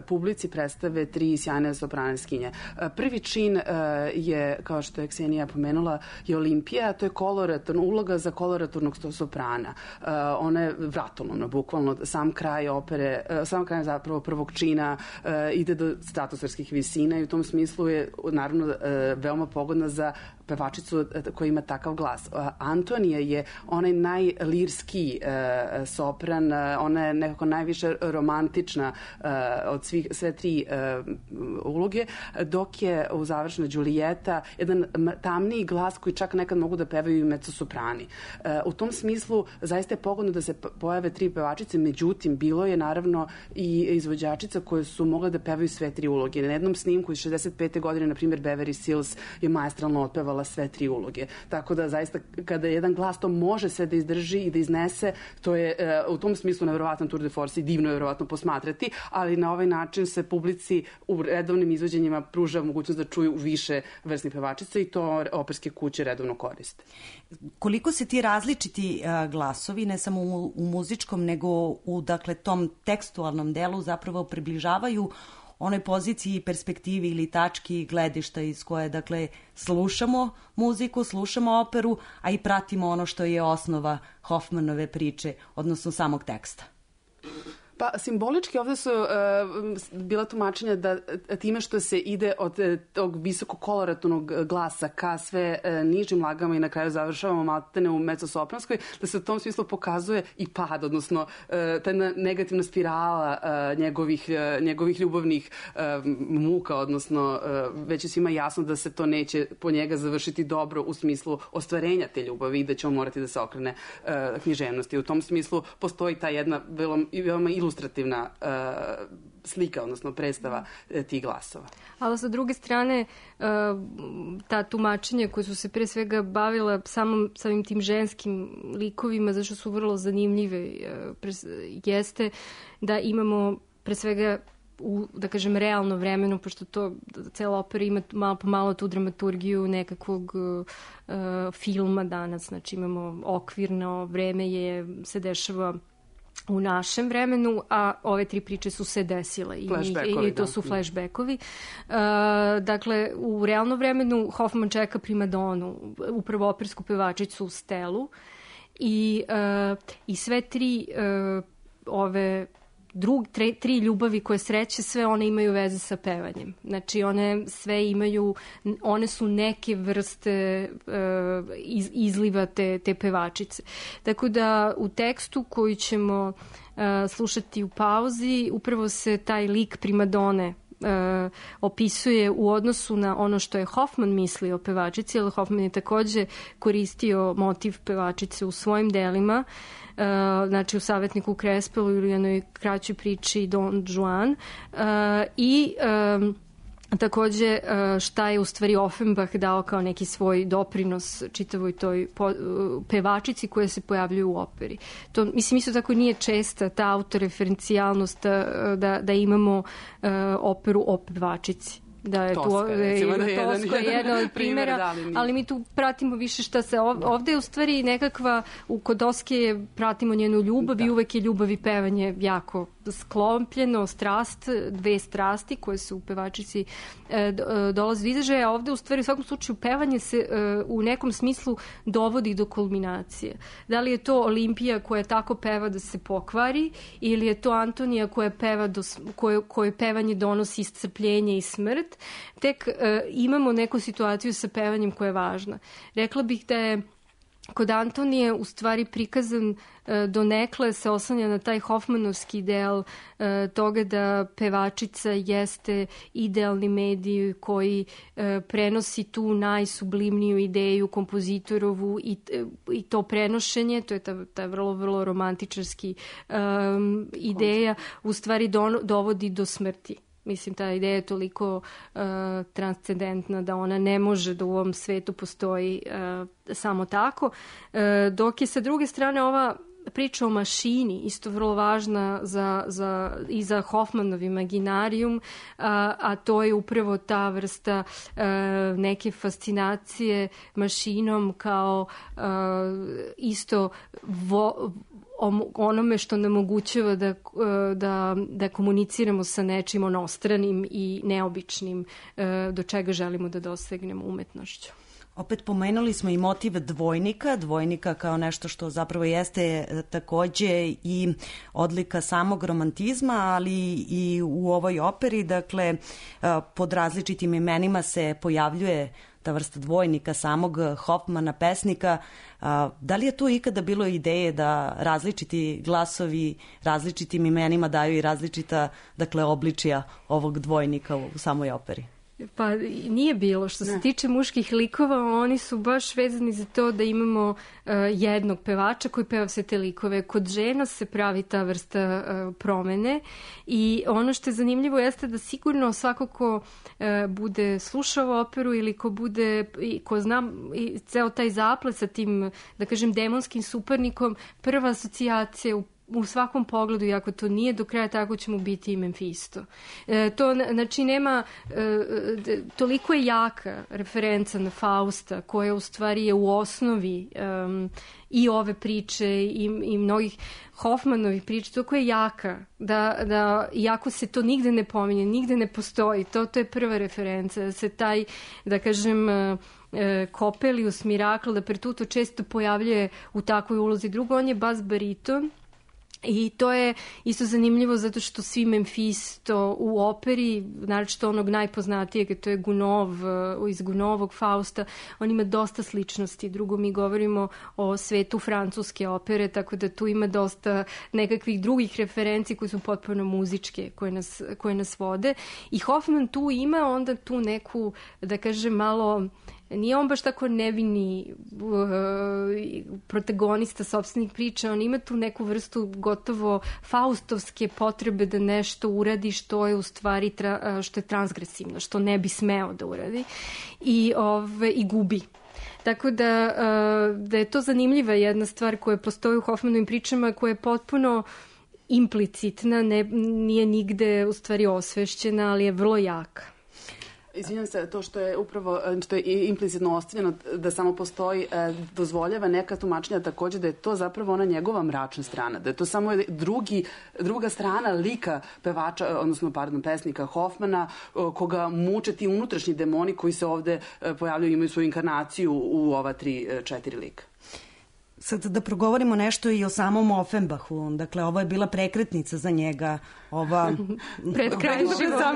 publici predstave tri sjajne sopraniskinje. E, prvi čin e, je, kao što je Ksenija pomenula, je Olimpija, to je koloratorna uloga za koloratornog soprana. E, ona je vratolomna, bukvalno sam kraj opere, e, sam kraj zapravo prvog čina e, ide do stratosferskih visina i u tom smislu je naravno veoma pogodna za pevačicu koja ima takav glas. Antonija je onaj najlirski sopran, ona je nekako najviše romantična od svih, sve tri uloge, dok je u završnoj Đulijeta jedan tamniji glas koji čak nekad mogu da pevaju i mezzosoprani. U tom smislu zaista je pogodno da se pojave tri pevačice, međutim bilo je naravno i izvođačica koje su mogle da pevaju sve tri uloge. Na jednom snimku iz šezdeset pete godine, na primjer, Beverly Sills je maestralno otpevala sve tri uloge. Tako da zaista kada jedan glas to može sve da izdrži i da iznese, to je e, u tom smislu nevjerovatan tour de force i divno je vjerovatno posmatrati, ali na ovaj način se publici u redovnim izvođenjima pruža mogućnost da čuju više vrsnih pevačica i to operske kuće redovno koriste.
Koliko se ti različiti uh, glasovi, ne samo u, u muzičkom, nego u dakle, tom tekstualnom delu zapravo približavaju onoj poziciji i perspektivi ili tački gledišta iz koje, dakle, slušamo muziku, slušamo operu, a i pratimo ono što je osnova Hoffmanove priče, odnosno samog teksta.
Pa simbolički ovde su uh, bila tumačenja da time što se ide od uh, tog visoko koloratornog glasa ka sve uh, nižim lagama i na kraju završavamo maltene u mezzosopranskoj, da se u tom smislu pokazuje i pad, odnosno uh, ta negativna spirala uh, njegovih, uh, njegovih ljubavnih uh, muka, odnosno uh, već je svima jasno da se to neće po njega završiti dobro u smislu ostvarenja te ljubavi i da će on morati da se okrene uh, književnosti. U tom smislu postoji ta jedna veoma, veoma ilustrativna uh, slika, odnosno predstava uh, tih glasova.
Ali sa druge strane, uh, ta tumačenja koje su se pre svega bavila samom, samim tim ženskim likovima, zašto su vrlo zanimljive, uh, pre, jeste da imamo pre svega u, da kažem, realno vremenu, pošto to cela opera ima malo po malo tu dramaturgiju nekakvog uh, filma danas, znači imamo okvirno vreme je, se dešava u našem vremenu, a ove tri priče su se desile i, i to su flashbackovi. Uh, dakle, u realno vremenu Hoffman čeka primadonu, upravo opersku pevačicu Stelu i, uh, i sve tri uh, ove drug, tre, tri ljubavi koje sreće, sve one imaju veze sa pevanjem. Znači, one sve imaju, one su neke vrste uh, iz, izliva te, te pevačice. Tako da u tekstu koji ćemo uh, slušati u pauzi, upravo se taj lik primadone Uh, opisuje u odnosu na ono što je Hoffman mislio o pevačici, jer Hoffman je takođe koristio motiv pevačice u svojim delima, uh, znači u Savetniku Krespelu ili jednoj kraćoj priči Don Juan, uh, i um, takođe šta je u stvari Offenbach dao kao neki svoj doprinos čitavoj toj po, pevačici koje se pojavljuju u operi. To, mislim, isto tako nije česta ta autoreferencijalnost da, da imamo uh, operu o pevačici. Da je
Toska,
tu,
recimo, da je
Toska je jedan od primjera, da, ali, ali mi tu pratimo više šta se ovde, ovde je u stvari nekakva, u kod Toske pratimo njenu ljubav da. I uvek je ljubav i pevanje jako sklopljeno, strast, dve strasti koje su u pevačici e, dolaze do izražaja, a ovde u stvari u svakom slučaju pevanje se e, u nekom smislu dovodi do kulminacije. Da li je to Olimpija koja tako peva da se pokvari ili je to Antonija koja peva do, koje, koje pevanje donosi iscrpljenje i smrt, tek e, imamo neku situaciju sa pevanjem koja je važna. Rekla bih da je kod Antonije u stvari prikazan e, donekle se oslanja na taj Hoffmanovski ideal e, toga da pevačica jeste idealni medij koji e, prenosi tu najsublimniju ideju kompozitorovu i, i to prenošenje, to je ta, ta vrlo, vrlo romantičarski e, ideja, u stvari don, dovodi do smrti. Mislim, ta ideja je toliko uh, transcendentna da ona ne može da u ovom svetu postoji uh, samo tako. Uh, dok je sa druge strane ova priča o mašini isto vrlo važna za, za, i za Hoffmanov imaginarium, a, a to je upravo ta vrsta a, neke fascinacije mašinom kao a, isto vo, onome što nam omogućava da, da, da komuniciramo sa nečim onostranim i neobičnim do čega želimo da dosegnemo umetnošću.
Opet pomenuli smo i motiv dvojnika, dvojnika kao nešto što zapravo jeste takođe i odlika samog romantizma, ali i u ovoj operi, dakle, pod različitim imenima se pojavljuje ta vrsta dvojnika samog Hoffmana, pesnika. Da li je tu ikada bilo ideje da različiti glasovi različitim imenima daju i različita, dakle, obličija ovog dvojnika u samoj operi?
Pa nije bilo. Što se ne. tiče muških likova, oni su baš vezani za to da imamo uh, jednog pevača koji peva sve te likove. Kod žena se pravi ta vrsta uh, promene i ono što je zanimljivo jeste da sigurno svako ko uh, bude slušao operu ili ko bude, i ko zna i ceo taj zaplet sa tim, da kažem, demonskim suparnikom, prva asocijacija u u svakom pogledu, i ako to nije do kraja, tako će mu biti i Memfisto. E, to, znači, nema, e, toliko je jaka referenca na Fausta, koja u stvari je u osnovi e, i ove priče i, i mnogih Hoffmanovih priča, toliko je jaka, da, da iako se to nigde ne pominje, nigde ne postoji, to, to je prva referenca, da se taj, da kažem, e, Coppelius Mirakl, da Pertuto često pojavljuje u takvoj ulozi. Drugo, on je bas bariton, i to je isto zanimljivo zato što svi Memfisto u operi, naročito onog najpoznatijeg, to je Gunov, iz Gunovog Fausta, on ima dosta sličnosti. Drugo, mi govorimo o svetu francuske opere, tako da tu ima dosta nekakvih drugih referenci koji su potpuno muzičke, koje nas, koje nas vode. I Hoffman tu ima onda tu neku, da kažem, malo... Nije on baš tako nevini uh, protagonista sopstvenih priča, on ima tu neku vrstu gotovo faustovske potrebe da nešto uradi što je u stvari tra, što je transgresivno, što ne bi smeo da uradi i, ove, i gubi. Tako da, uh, da je to zanimljiva jedna stvar koja postoji u Hoffmanovim pričama, koja je potpuno implicitna, ne, nije nigde u stvari osvešćena, ali je vrlo jaka.
Izvinjam se, to što je upravo, što je implicitno ostavljeno da samo postoji, dozvoljava neka tumačenja takođe da je to zapravo ona njegova mračna strana, da je to samo drugi, druga strana lika pevača, odnosno, pardon, pesnika Hoffmana, koga muče ti unutrašnji demoni koji se ovde pojavljaju, imaju svoju inkarnaciju u ova tri, četiri lika.
Sad da progovorimo nešto i o samom Offenbachu. Dakle, ovo je bila prekretnica za njega. Ova...
Pred kraj života.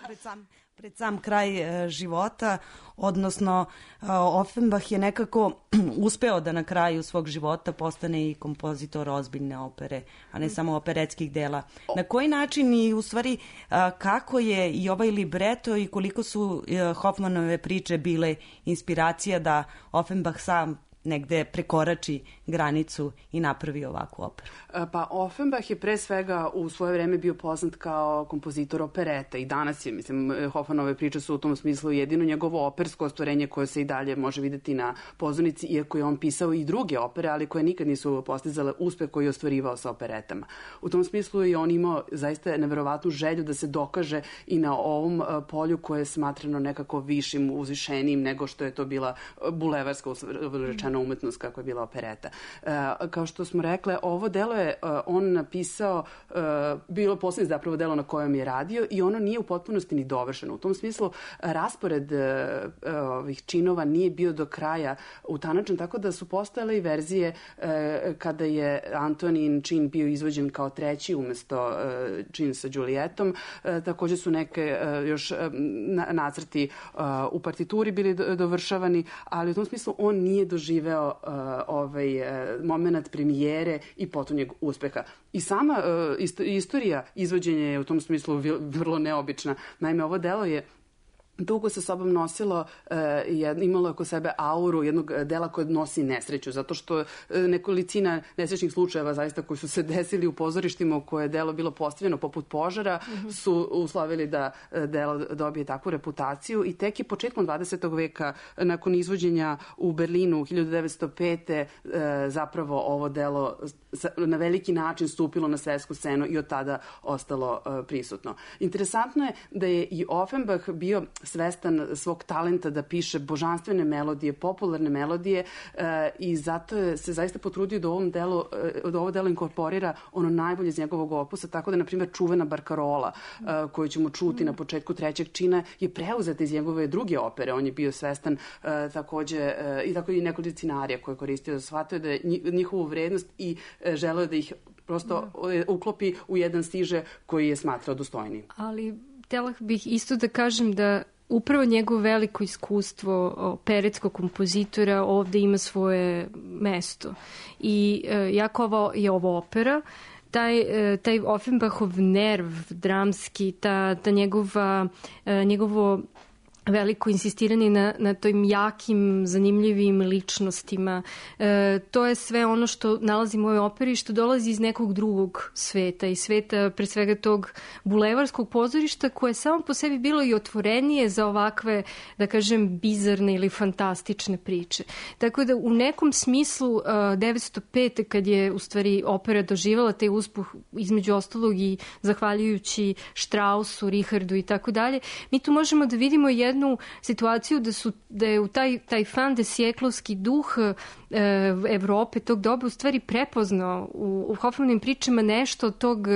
Pred sam, pred sam kraj e, života, odnosno e, Offenbach je nekako uspeo da na kraju svog života postane i kompozitor ozbiljne opere, a ne samo operetskih dela. Na koji način i u stvari a, kako je i ovaj libreto i koliko su e, Hoffmanove priče bile inspiracija da Offenbach sam negde prekorači granicu i napravi ovakvu operu?
Pa Offenbach je pre svega u svoje vreme bio poznat kao kompozitor opereta i danas je, mislim, Hoffmanove priče su u tom smislu jedino njegovo opersko ostvarenje koje se i dalje može videti na pozornici, iako je on pisao i druge opere, ali koje nikad nisu postizale uspeh koji je ostvarivao sa operetama. U tom smislu je on imao zaista neverovatnu želju da se dokaže i na ovom polju koje je smatrano nekako višim, uzvišenijim nego što je to bila bulevarska rečena umetnost kako je bila opereta. Kao što smo rekle, ovo delo je on napisao, bilo poslednje zapravo delo na kojem je radio i ono nije u potpunosti ni dovršeno. U tom smislu raspored ovih činova nije bio do kraja utanačen, tako da su postojale i verzije kada je Antonin čin bio izvođen kao treći umesto čin sa Julietom. Takođe su neke još nacrti u partituri bili dovršavani, ali u tom smislu on nije doživio doživeo uh, ovaj uh, moment premijere i potonjeg uspeha. I sama uh, isto, istorija izvođenja je u tom smislu vrlo neobična. Naime, ovo delo je dugo sa sobom nosilo, e, imalo oko sebe auru jednog dela koje nosi nesreću, zato što nekolicina nesrećnih slučajeva zaista koji su se desili u pozorištima u koje je delo bilo postavljeno poput požara mm-hmm. su uslovili da delo dobije takvu reputaciju i tek je početkom dvadesetog veka nakon izvođenja u Berlinu hiljadu devetsto pete. E, zapravo ovo delo na veliki način stupilo na svetsku scenu i od tada ostalo e, prisutno. Interesantno je da je i Offenbach bio svestan svog talenta da piše božanstvene melodije, popularne melodije e, i zato je se zaista potrudio da ovom delu, da ovo delo inkorporira ono najbolje iz njegovog opusa, tako da, na primjer, čuvena Barkarola e, koju ćemo čuti na početku trećeg čina je preuzeta iz njegove druge opere. On je bio svestan e, takođe e, i tako i nekoliko scenarija koje je koristio. Shvatio da je njihovu vrednost i e, želeo da ih prosto uklopi u jedan stiže koji je smatrao dostojnim.
Ali htjela bih isto da kažem da upravo njegovo veliko iskustvo operetskog kompozitora ovde ima svoje mesto. I e, jako ovo je ovo opera, taj, taj Offenbachov nerv dramski, ta, ta njegova, njegovo veliko insistiranje na, na tojim jakim, zanimljivim ličnostima. E, to je sve ono što nalazimo u ovoj operi, što dolazi iz nekog drugog sveta, i sveta pre svega tog bulevarskog pozorišta koje je samo po sebi bilo i otvorenije za ovakve, da kažem, bizarne ili fantastične priče. Tako da u nekom smislu devetsto pete. kad je u stvari opera doživala taj uspuh, između ostalog i zahvaljujući Strausu, Richardu i tako dalje, mi tu možemo da vidimo jednu jednu situaciju da, su, da je u taj, taj fan de sjeklovski duh e, Evrope tog doba u stvari prepoznao u, u Hoffmanovim pričama nešto od tog,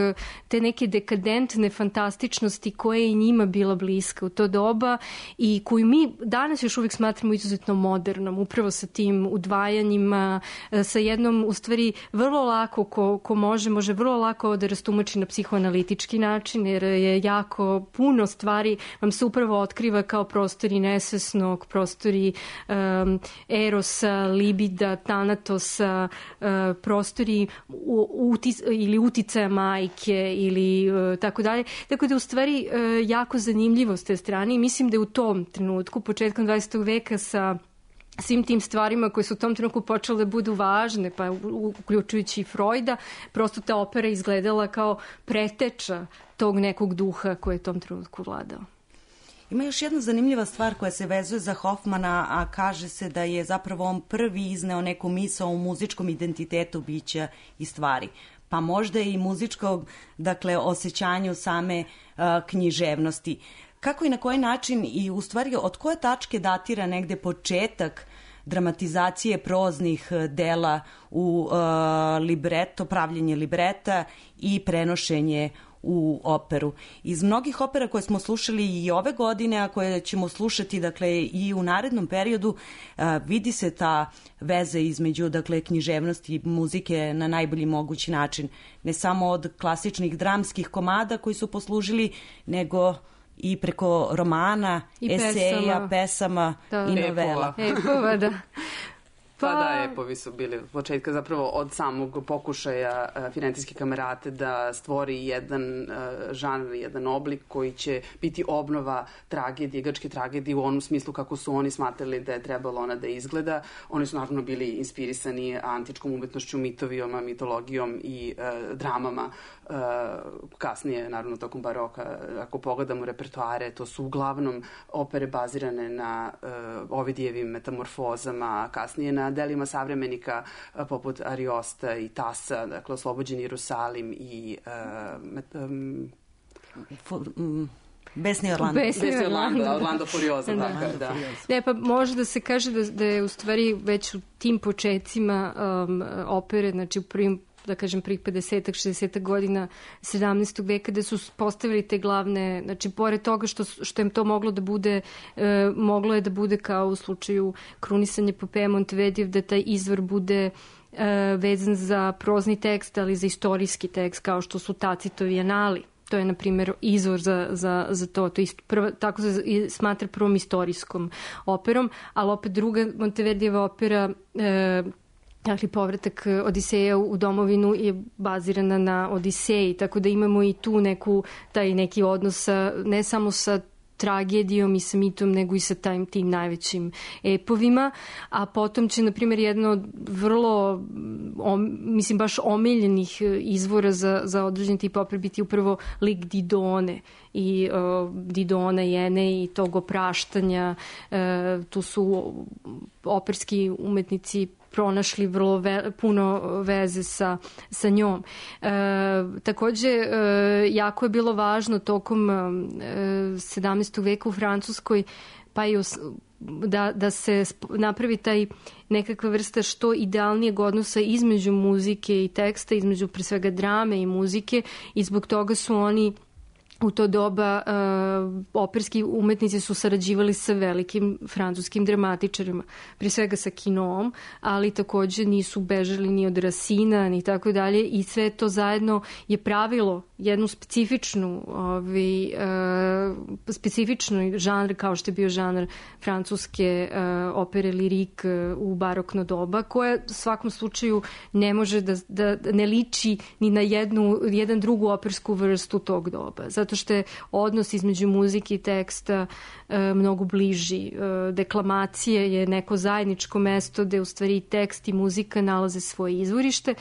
te neke dekadentne fantastičnosti koja je i njima bila bliska u to doba i koju mi danas još uvijek smatramo izuzetno modernom, upravo sa tim udvajanjima, sa jednom u stvari vrlo lako ko, ko može, može vrlo lako da rastumači na psihoanalitički način, jer je jako puno stvari vam se upravo otkriva kao prostori nesvesnog, prostori um, erosa, libida, tanatosa, uh, prostori utis, ili uticaja majke ili uh, tako dalje. Tako da u stvari uh, jako zanimljivo s te strane i mislim da je u tom trenutku, početkom dvadesetog veka sa svim tim stvarima koje su u tom trenutku počele da budu važne, pa uključujući i Freuda, prosto ta opera izgledala kao preteča tog nekog duha koji je u tom trenutku vladao.
Ima još jedna zanimljiva stvar koja se vezuje za Hoffmana, a kaže se da je zapravo on prvi izneo neku misao o muzičkom identitetu bića i stvari. Pa možda i muzičkog, dakle, osjećanju same uh, književnosti. Kako i na koji način i u stvari od koje tačke datira negde početak dramatizacije proznih dela u uh, libreto, pravljenje libreta i prenošenje u operu. Iz mnogih opera koje smo slušali i ove godine, a koje ćemo slušati dakle i u narednom periodu, a, vidi se ta veza između dakle književnosti i muzike na najbolji mogući način. Ne samo od klasičnih dramskih komada koji su poslužili, nego i preko romana, I eseja, pesama, pesama
da.
i novela.
Epova, da.
Pa, pa da, epovi su bili od početka zapravo od samog pokušaja uh, Firencijske kamerate da stvori jedan uh, žanr, jedan oblik koji će biti obnova tragedije, grčke tragedije u onom smislu kako su oni smatrali da je trebalo ona da izgleda. Oni su naravno bili inspirisani antičkom umetnošću, mitovijama, mitologijom i uh, dramama. Uh, kasnije, naravno, tokom baroka, ako pogledamo repertoare, to su uglavnom opere bazirane na uh, Ovidijevim metamorfozama, kasnije na delima savremenika uh, poput Ariosta i Tasa, dakle, Oslobođeni Jerusalim i uh, met, um,
For, um, Besni Orlando.
Besni Orlando, Orlando Furioso, da. Dakle, da.
Ne, pa može da se kaže da, da je u stvari već u tim početcima um, opere, znači u prvim da kažem prvih pedesetak, šezdesetak godina sedamnaestog veka da su postavili te glavne, znači pored toga što, što im to moglo da bude, e, moglo je da bude kao u slučaju krunisanja Popeja Montevedijev, da taj izvor bude e, vezan za prozni tekst, ali za istorijski tekst, kao što su Tacitovi anali. To je, na primjer, izvor za, za, za to. To isto, prva, tako se smatra prvom istorijskom operom, ali opet druga Monteverdijeva opera, e, dakle, povratak Odiseja u domovinu je bazirana na Odiseji, tako da imamo i tu neku, taj neki odnos sa, ne samo sa tragedijom i sa mitom, nego i sa tajim, tim najvećim epovima, a potom će, na primjer, jedno od vrlo, om, mislim, baš omiljenih izvora za, za određen tip opere biti upravo lik Didone i uh, Didona i Ene i tog opraštanja. Uh, tu su operski umetnici pronašli vrlo ve, puno veze sa, sa njom. E, takođe, e, jako je bilo važno tokom e, sedamnaestog veka u Francuskoj, pa i os, da, da se napravi taj nekakva vrsta što idealnijeg odnosa između muzike i teksta, između pre svega drame i muzike, i zbog toga su oni u to doba uh, operski umetnici su sarađivali sa velikim francuskim dramatičarima, prije svega sa Quinom, ali takođe nisu bežali ni od Racina ni tako dalje, i sve to zajedno je pravilo jednu specifičnu ovaj, uh, specifičnu žanr kao što je bio žanr francuske uh, opere lirik uh, u barokno doba, koja u svakom slučaju ne može da, da ne liči ni na jednu, jedan drugu opersku vrstu tog doba. Zato što je odnos između muzike i teksta e, mnogo bliži. E, deklamacije je neko zajedničko mesto gde u stvari tekst i muzika nalaze svoje izvorište,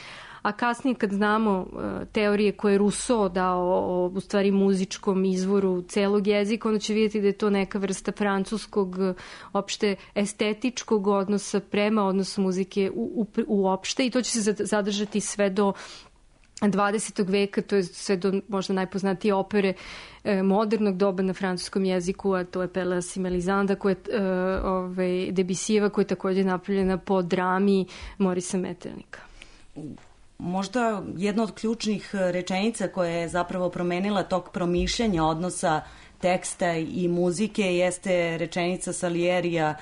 a kasnije kad znamo e, teorije koje je Rousseau dao o, u stvari muzičkom izvoru celog jezika, onda će vidjeti da je to neka vrsta francuskog opšte estetičkog odnosa prema odnosu muzike u, u, uopšte, i to će se zadržati sve do dvadesetog veka, to je sve do možda najpoznatije opere e, modernog doba na francuskom jeziku, a to je Pelléas i Melisande, koja je e, ovaj, Debussijeva, koja je takođe napravljena po drami Morisa Metternich.
Možda jedna od ključnih rečenica koja je zapravo promenila tog promišljanja odnosa teksta i muzike jeste rečenica Salierija: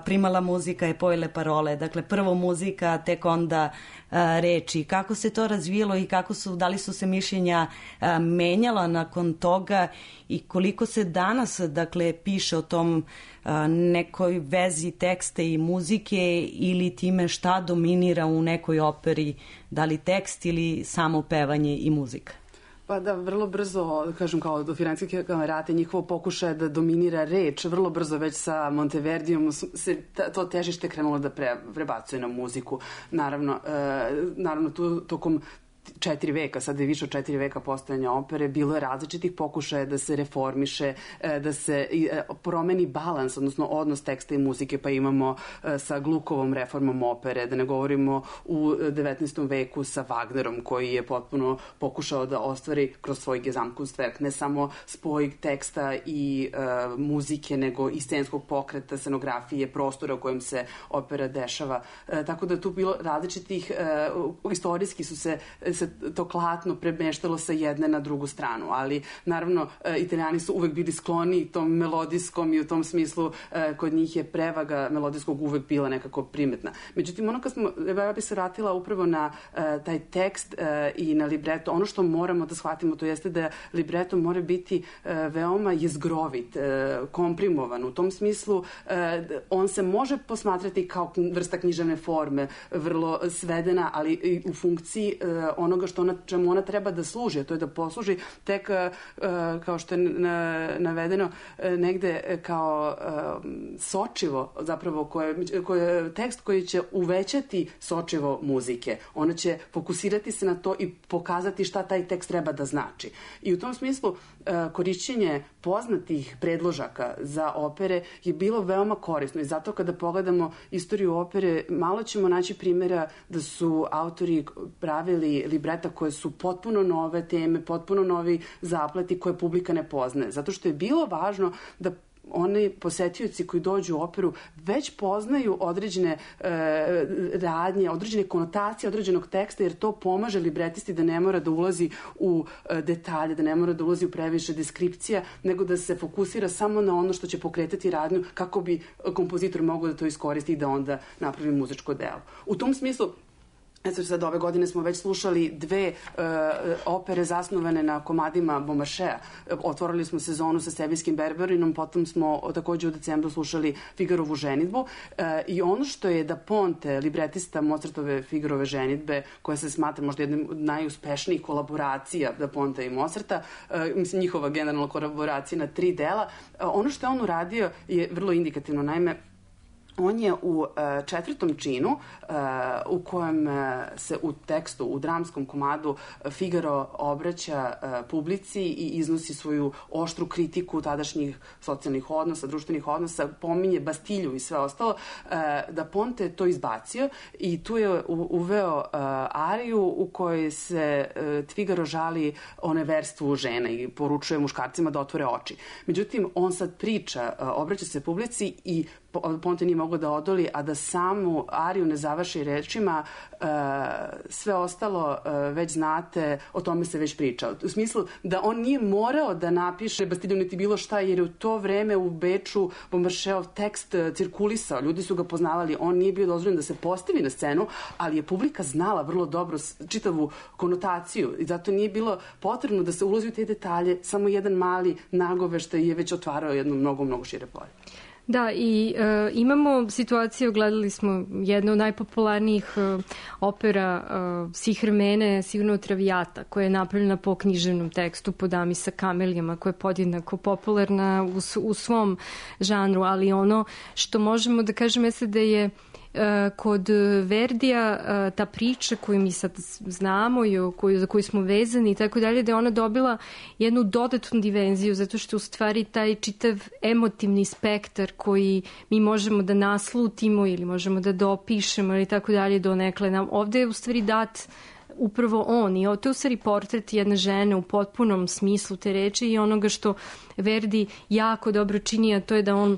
primala muzika je poi le parole. Dakle, prvo muzika, tek onda a, reči. Kako se to razvijelo i kako su, da li su se mišljenja a, menjala nakon toga i koliko se danas, dakle, piše o tom a, nekoj vezi teksta i muzike ili time šta dominira u nekoj operi, da li tekst ili samo pevanje i muzika?
Pa da, vrlo brzo, kažem, kao do Firenske kamerate, njihovo pokušaje da dominira reč, vrlo brzo već sa Monteverdijom se to težište krenulo da pre, prebacuje na muziku. Naravno, e, naravno tu tokom četiri veka, sad je više od četiri veka postojanja opere, bilo je različitih pokušaja da se reformiše, da se promeni balans, odnosno odnos teksta i muzike, pa imamo sa Glukovom reformom opere, da ne govorimo u devetnaestom veku sa Wagnerom, koji je potpuno pokušao da ostvari kroz svoj Gesamtkunstwerk ne samo spoj teksta i uh, muzike, nego i scenskog pokreta, scenografije, prostora u kojem se opera dešava. Uh, tako da tu bilo različitih, uh, istorijski su se se to klatno premeštalo sa jedne na drugu stranu, ali naravno Italijani su uvek bili skloni tom melodijskom i u tom smislu kod njih je prevaga melodijskog uvek bila nekako primetna. Međutim, ono kad smo, ja bi se vratila upravo na taj tekst i na libreto, ono što moramo da shvatimo to jeste da libreto mora biti veoma jezgrovit, komprimovan. U tom smislu on se može posmatrati kao vrsta književne forme, vrlo svedena, ali i u funkciji onoga što ona, čemu ona treba da služi, a to je da posluži tek, kao što je navedeno, negde kao sočivo, zapravo, koje, koje, tekst koji će uvećati sočivo muzike. Ona će fokusirati se na to i pokazati šta taj tekst treba da znači. I u tom smislu korišćenje poznatih predložaka za opere je bilo veoma korisno i zato kada pogledamo istoriju opere, malo ćemo naći primjera da su autori pravili libreta koje su potpuno nove teme, potpuno novi zapleti koje publika ne poznaje. Zato što je bilo važno da oni posetioci koji dođu u operu već poznaju određene e, radnje, određene konotacije određenog teksta, jer to pomaže libretisti da ne mora da ulazi u e, detalje, da ne mora da ulazi u previše deskripcija, nego da se fokusira samo na ono što će pokretati radnju kako bi kompozitor mogao da to iskoristi i da onda napravi muzičko delo. U tom smislu Eto, sad ove godine smo već slušali dve uh, opere zasnovane na komadima Beaumarchais. Otvorili smo sezonu sa Sevijskim Berberinom, potom smo takođe u decembru slušali Figarovu ženidbu. Uh, I ono što je Da Ponte, libretista Mozartove Figarove ženidbe, koja se smatra možda jednim od najuspešnijih kolaboracija Da Ponte i Mozarta, uh, mislim njihova generalna kolaboracija na tri dela, uh, ono što je on uradio je vrlo indikativno. Naime, on je u četvrtom činu u kojem se u tekstu, u dramskom komadu Figaro obraća publici i iznosi svoju oštru kritiku tadašnjih socijalnih odnosa, društvenih odnosa, pominje Bastilju i sve ostalo. Da Ponte to izbacio i tu je uveo ariju u kojoj se Figaro žali o neverstvu žena i poručuje muškarcima da otvore oči. Međutim, on sad priča, obraća se publici i Ponte nije mogao da odoli, a da samu ariju ne završi rečima uh, sve ostalo uh, već znate, o tome se već priča. U smislu da on nije morao da napiše Bastilju niti bilo šta, jer je u to vreme u Beču Beaumarchaisov tekst cirkulisao, ljudi su ga poznavali, on nije bio dozvoljen da se postavi na scenu, ali je publika znala vrlo dobro čitavu konotaciju i zato nije bilo potrebno da se ulazi u te detalje, samo jedan mali nagoveštaj je već otvarao jedno mnogo, mnogo šire polje.
Da, i e, imamo situaciju, gledali smo jednu od najpopularnijih e, opera e, svih vremena, sigurno Traviata, koja je napravljena po književnom tekstu, po Dami sa kamelijama, koja je podjednako popularna u, u svom žanru, ali ono što možemo da kažemo jeste da je kod Verdija ta priča koju mi sad znamo i koju, za koju smo vezani i tako dalje, da je ona dobila jednu dodatnu dimenziju, zato što u stvari taj čitav emotivni spektar koji mi možemo da naslutimo ili možemo da dopišemo ili tako dalje donekle nam, ovde je u stvari dat upravo on i to je u stvari portret jedne žene u potpunom smislu te reči i onoga što Verdi jako dobro čini, a to je da on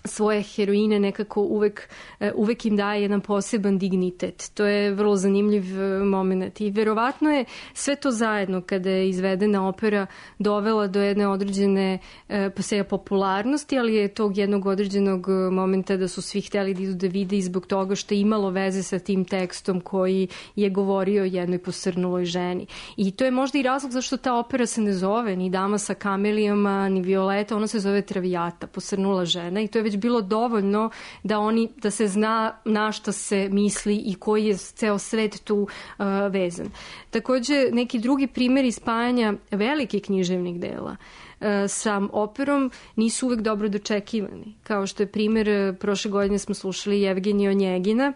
svoje heroine nekako uvek, uvek im daje jedan poseban dignitet. To je vrlo zanimljiv moment i verovatno je sve to zajedno kada je izvedena opera dovela do jedne određene pa se popularnosti, ali je tog jednog određenog momenta da su svi hteli da idu da vide i zbog toga što je imalo veze sa tim tekstom koji je govorio o jednoj posrnuloj ženi. I to je možda i razlog zašto ta opera se ne zove ni Dama sa kamelijama, ni Violeta, ona se zove Traviata, posrnula žena i to je već bilo dovoljno da oni da se zna na šta se misli i koji je ceo svet tu uh, vezan. Takođe, neki drugi primjeri spajanja velikih književnih dela uh, sa operom nisu uvek dobro dočekivani. Kao što je primjer, prošle godine smo slušali Jevgenija Onjegina,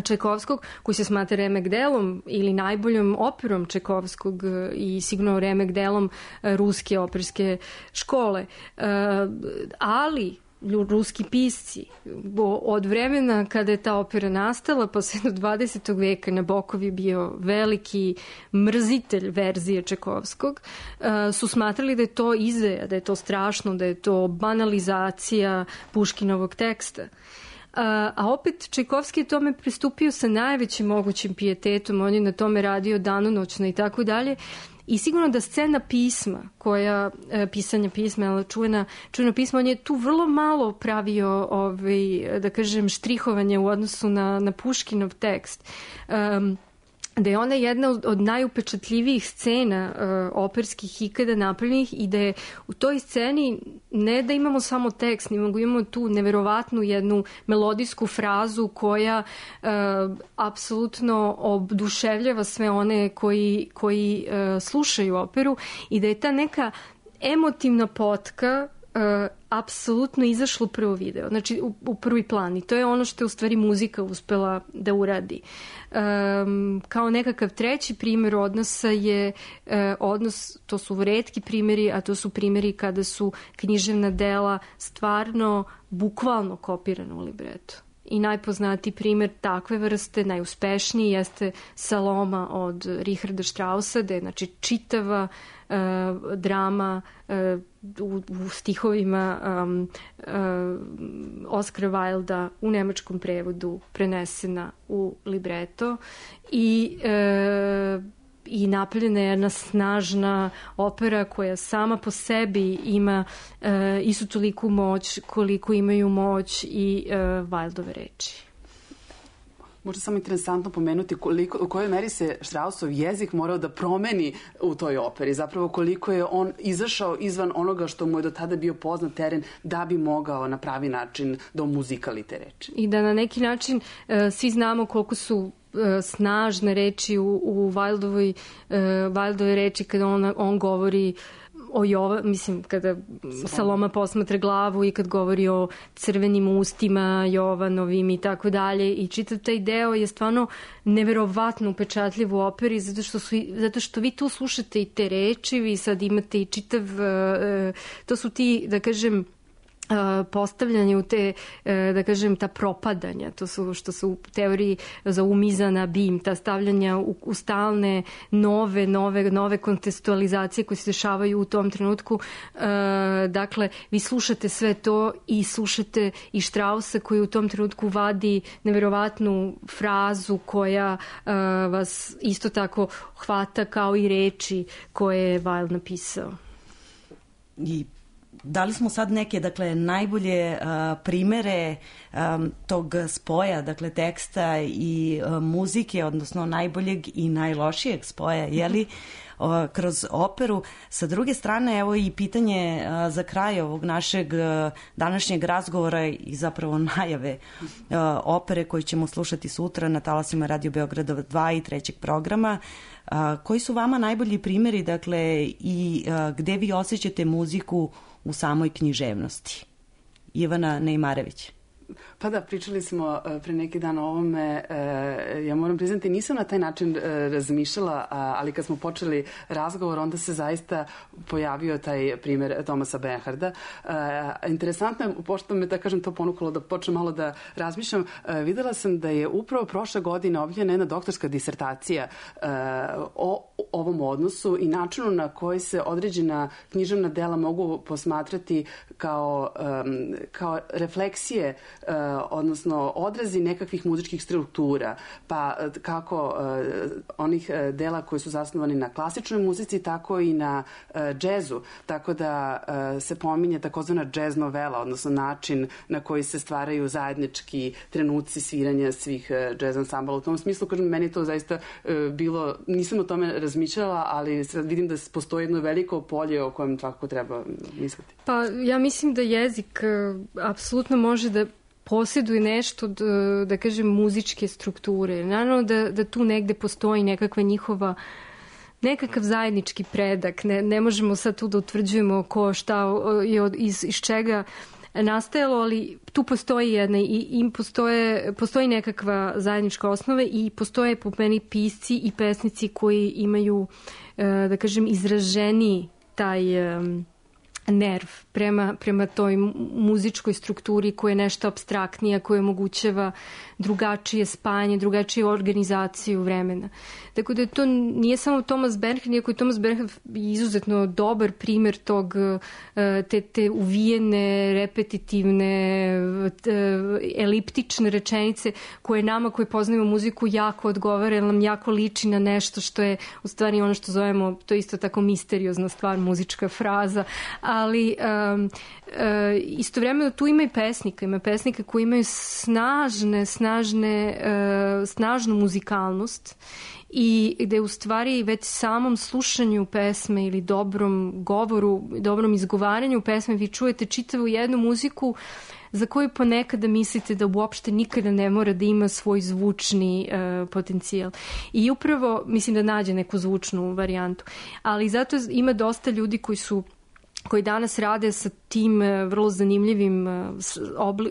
Čajkovskog, koji se smatra remek delom ili najboljom operom Čajkovskog i sigurno remek delom ruske operske škole. Uh, ali ruski pisci od vremena kada je ta opera nastala pa sve do dvadesetog veka Nabokov je bio veliki mrzitelj verzije Čajkovskog, su smatrali da je to izdaja, da je to strašno, da je to banalizacija Puškinovog teksta. A opet Čajkovski je tome pristupio sa najvećim mogućim pijetetom, on je na tome radio danonoćno i tako dalje. I sigurno da scena pisma, koja, pisanja pisma, čuvena, čuveno pismo, on je tu vrlo malo pravio, ovaj, da kažem, štrihovanje u odnosu na, na Puškinov tekst. Um, da je ona jedna od, od najupečatljivijih scena uh, operskih ikada napravljenih i da je u toj sceni ne da imamo samo tekst, nego imamo tu neverovatnu jednu melodijsku frazu koja uh, apsolutno oduševljava sve one koji, koji uh, slušaju operu i da je ta neka emotivna potka Uh, apsolutno izašlo u prvo video, znači u, u prvi plan i to je ono što je u stvari muzika uspela da uradi. Um, kao nekakav treći primjer odnosa je uh, odnos, to su retki primjeri, a to su primjeri kada su književna dela stvarno bukvalno kopirana u libretu. I najpoznatiji primjer takve vrste, najuspešniji, jeste Saloma od Richarda Straussa, da je znači čitava uh, drama uh, u, u stihovima um, uh, Oscara Wilda u nemačkom prevodu prenesena u libreto i uh, i napravljena je jedna snažna opera koja sama po sebi ima uh, istu toliku moć koliko imaju moć i uh, Wildove reči.
Možda samo interesantno pomenuti koliko, u kojoj meri se Straussov jezik morao da promeni u toj operi. Zapravo koliko je on izašao izvan onoga što mu je do tada bio poznat teren da bi mogao na pravi način da omuzikali te reči.
I da na neki način e, svi znamo koliko su e, snažne reči u, u Wildovoj, e, Wildove reči kada on, on govori o Jova, mislim, kada Saloma posmatra glavu i kad govori o crvenim ustima Jovanovim i tako dalje, i čitav taj deo je stvarno neverovatno upečatljiv u operi, zato što, su, zato što vi tu slušate i te reči, vi sad imate i čitav, to su ti, da kažem, postavljanje u te, da kažem, ta propadanja, to su što su u teoriji za umizana bim, ta stavljanja u, u stalne nove, nove, nove kontekstualizacije koje se dešavaju u tom trenutku. Dakle, vi slušate sve to i slušate i Straussa koji u tom trenutku vadi neverovatnu frazu koja vas isto tako hvata kao i reči koje je Wilde napisao.
I dali smo sad neke, dakle, najbolje uh, primere um, tog spoja, dakle, teksta i uh, muzike, odnosno najboljeg i najlošijeg spoja, jeli, uh, kroz operu. Sa druge strane, evo i pitanje uh, za kraj ovog našeg uh, današnjeg razgovora i zapravo najave uh, opere koju ćemo slušati sutra na talasima Radio Beograda dva i trećeg programa. Uh, koji su vama najbolji primjeri, dakle, i uh, gde vi osjećate muziku u samoj književnosti? Ivana Nejmarević.
Pa da, pričali smo pre neki dan o ovome. Ja moram priznati, nisam na taj način razmišljala, ali kad smo počeli razgovor, onda se zaista pojavio taj primjer Thomasa Bernharda. Interesantno je, pošto me, da kažem, to ponukalo da počnem malo da razmišljam, videla sam da je upravo prošle godine objavljena jedna doktorska disertacija o ovom odnosu i načinu na koji se određena književna dela mogu posmatrati kao, kao refleksije, odnosno odrazi nekakvih muzičkih struktura, pa kako onih dela koji su zasnovani na klasičnoj muzici, tako i na džezu, tako da se pominje takozvana džez novela, odnosno način na koji se stvaraju zajednički trenuci sviranja svih džez ansambala. U tom smislu, kažem, meni to zaista bilo, nisam o tome razmišljala, ali sad vidim da postoji jedno veliko polje o kojem tako treba misliti.
Pa ja mislim da jezik apsolutno može da posjeduje nešto, da, da kažem, muzičke strukture. Naravno da, da tu negde postoji nekakva njihova, nekakav zajednički predak. Ne, ne možemo sad tu da utvrđujemo ko šta je od, iz, iz čega nastajalo, ali tu postoji jedna i im postoje, postoji nekakva zajednička osnova i postoje po meni pisci i pesnici koji imaju, da kažem, izraženi taj nerv prema, prema toj muzičkoj strukturi koja je nešto apstraktnija, koja omogućava drugačije spajanje, drugačiju organizaciju vremena. Tako da to nije samo Thomas Bernhard, iako je Thomas Bernhard izuzetno dobar primjer tog, te, te uvijene, repetitivne, eliptične rečenice koje nama koji poznajemo muziku jako odgovara, jer nam jako liči na nešto što je u stvari ono što zovemo, to je isto tako misteriozna stvar, muzička fraza, ali um, uh, istovremeno tu ima i pesnika, ima pesnika koji imaju snažne, snažne, uh, snažnu muzikalnost i gde u stvari već samom slušanju pesme ili dobrom govoru, dobrom izgovaranju pesme vi čujete čitavu jednu muziku za koju ponekada mislite da uopšte nikada ne mora da ima svoj zvučni uh, potencijal. I upravo mislim da nađe neku zvučnu varijantu. Ali zato ima dosta ljudi koji su koji danas rade sa tim vrlo zanimljivim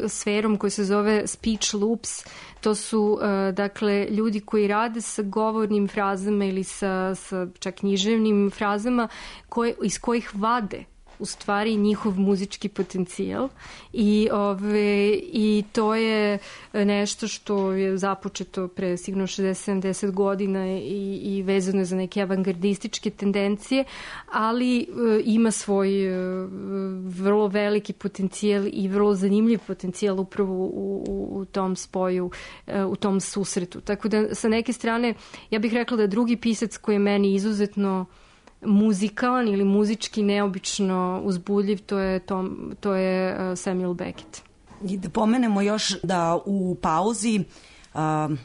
sferom koji se zove speech loops. To su, dakle, ljudi koji rade sa govornim frazama ili sa, sa čak književnim frazama koje, iz kojih vade u stvari njihov muzički potencijal i, ove, i to je nešto što je započeto pre sigurno šezdeset sedamdeset godina i, i vezano je za neke avangardističke tendencije, ali e, ima svoj e, vrlo veliki potencijal i vrlo zanimljiv potencijal upravo u, u, u tom spoju, e, u tom susretu. Tako da sa neke strane ja bih rekla da drugi pisac koji je meni izuzetno muzikalan ili muzički neobično uzbudljiv, to je, Tom, to je Samuel Beckett.
I da pomenemo još da u pauzi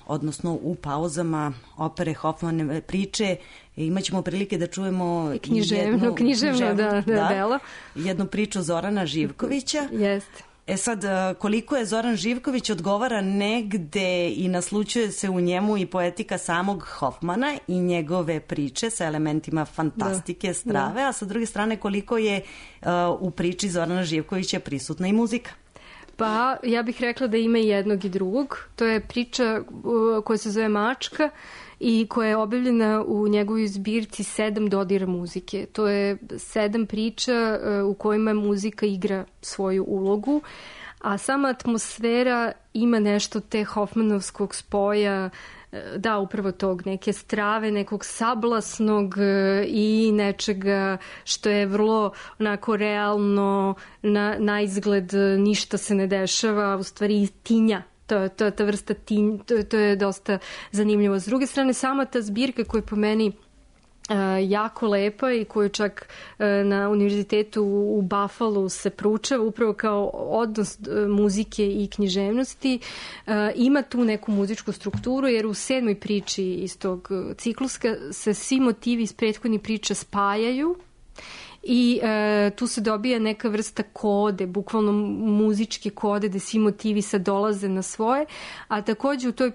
odnosno u pauzama opere Hoffmanove priče. Imaćemo prilike da čujemo
književno,
jednu,
književno, književno da, da, da, dela.
jednu priču Zorana Živkovića.
Jeste.
E sad, koliko je Zoran Živković odgovara negde i naslučuje se u njemu i poetika samog Hoffmana i njegove priče sa elementima fantastike, da, strave, da. A sa druge strane koliko je uh, u priči Zorana Živkovića prisutna i muzika.
Pa, ja bih rekla da ima i jednog i drugog. To je priča uh, koja se zove Mačka i koja je objavljena u njegovoj zbirci Sedam dodira muzike. To je sedam priča uh, u kojima muzika igra svoju ulogu, a sama atmosfera ima nešto te Hoffmanovskog spoja, da, upravo tog, neke strave, nekog sablasnog i nečega što je vrlo onako realno, na, na izgled ništa se ne dešava, u stvari tinja. To, to, ta vrsta tinj, to, to je dosta zanimljivo. S druge strane, sama ta zbirka koja je po meni Uh, jako lepa i koju čak uh, na univerzitetu u Buffalo se proučava upravo kao odnos uh, muzike i književnosti. Uh, ima tu neku muzičku strukturu jer u sedmoj priči iz tog cikluska se svi motivi iz prethodnih priča spajaju i uh, tu se dobija neka vrsta kode, bukvalno muzičke kode gde svi motivi sad dolaze na svoje, a takođe u toj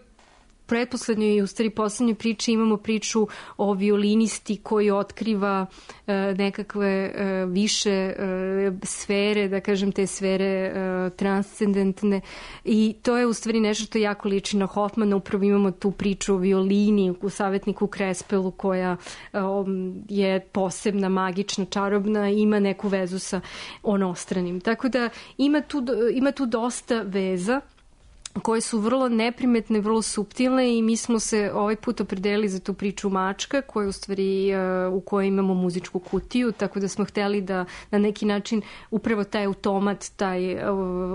pretposlednjoj i u stvari poslednjoj priči imamo priču o violinisti koji otkriva e, nekakve e, više e, sfere, da kažem te sfere e, transcendentne, i to je u stvari nešto što jako liči na Hoffmana. Upravo imamo tu priču o violini u Savetniku Krespelu koja e, je posebna, magična, čarobna i ima neku vezu sa onostranim. Tako da ima tu, ima tu dosta veza koje su vrlo neprimetne, vrlo suptilne, i mi smo se ovaj put opredelili za tu priču Mačka, koja u stvari u kojoj imamo muzičku kutiju, tako da smo hteli da na neki način upravo taj automat, taj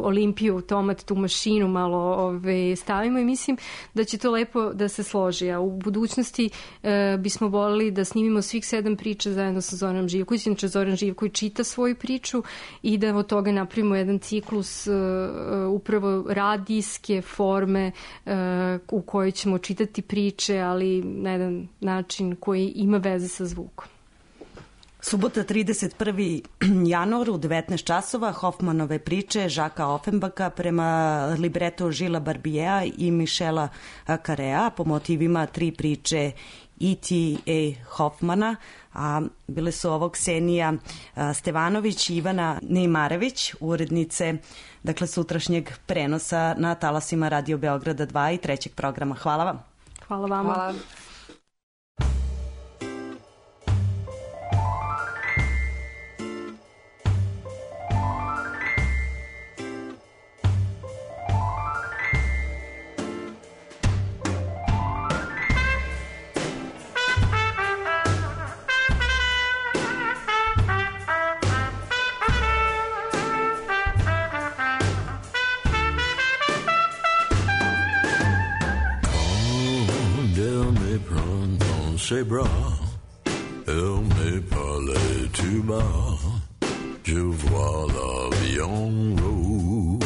Olimpiju automat, tu mašinu malo ove, stavimo, i mislim da će to lepo da se složi. A u budućnosti e, bismo volili da snimimo svih sedam priča zajedno sa Zoranom Živkovićem. Znači, Zoran Živković čita svoju priču i da od toga napravimo jedan ciklus e, upravo radijski forme uh, u kojoj ćemo čitati priče, ali na jedan način koji ima veze sa zvukom.
Subota trideset prvi januar u devetnaest časova Hoffmanove priče Žaka Offenbaka prema libretu Žila Barbijea i Michela Carea po motivima tri priče E T A Hoffmana, a bile su ovo Ksenija Stevanović i Ivana Neimarević, urednice dakle sutrašnjeg prenosa na talasima Radio Beograda dva i trećeg programa. Hvala vam.
Hvala vama. Hvala.
C'est bras, elle me parlait tout bas, je vois la vie en rose.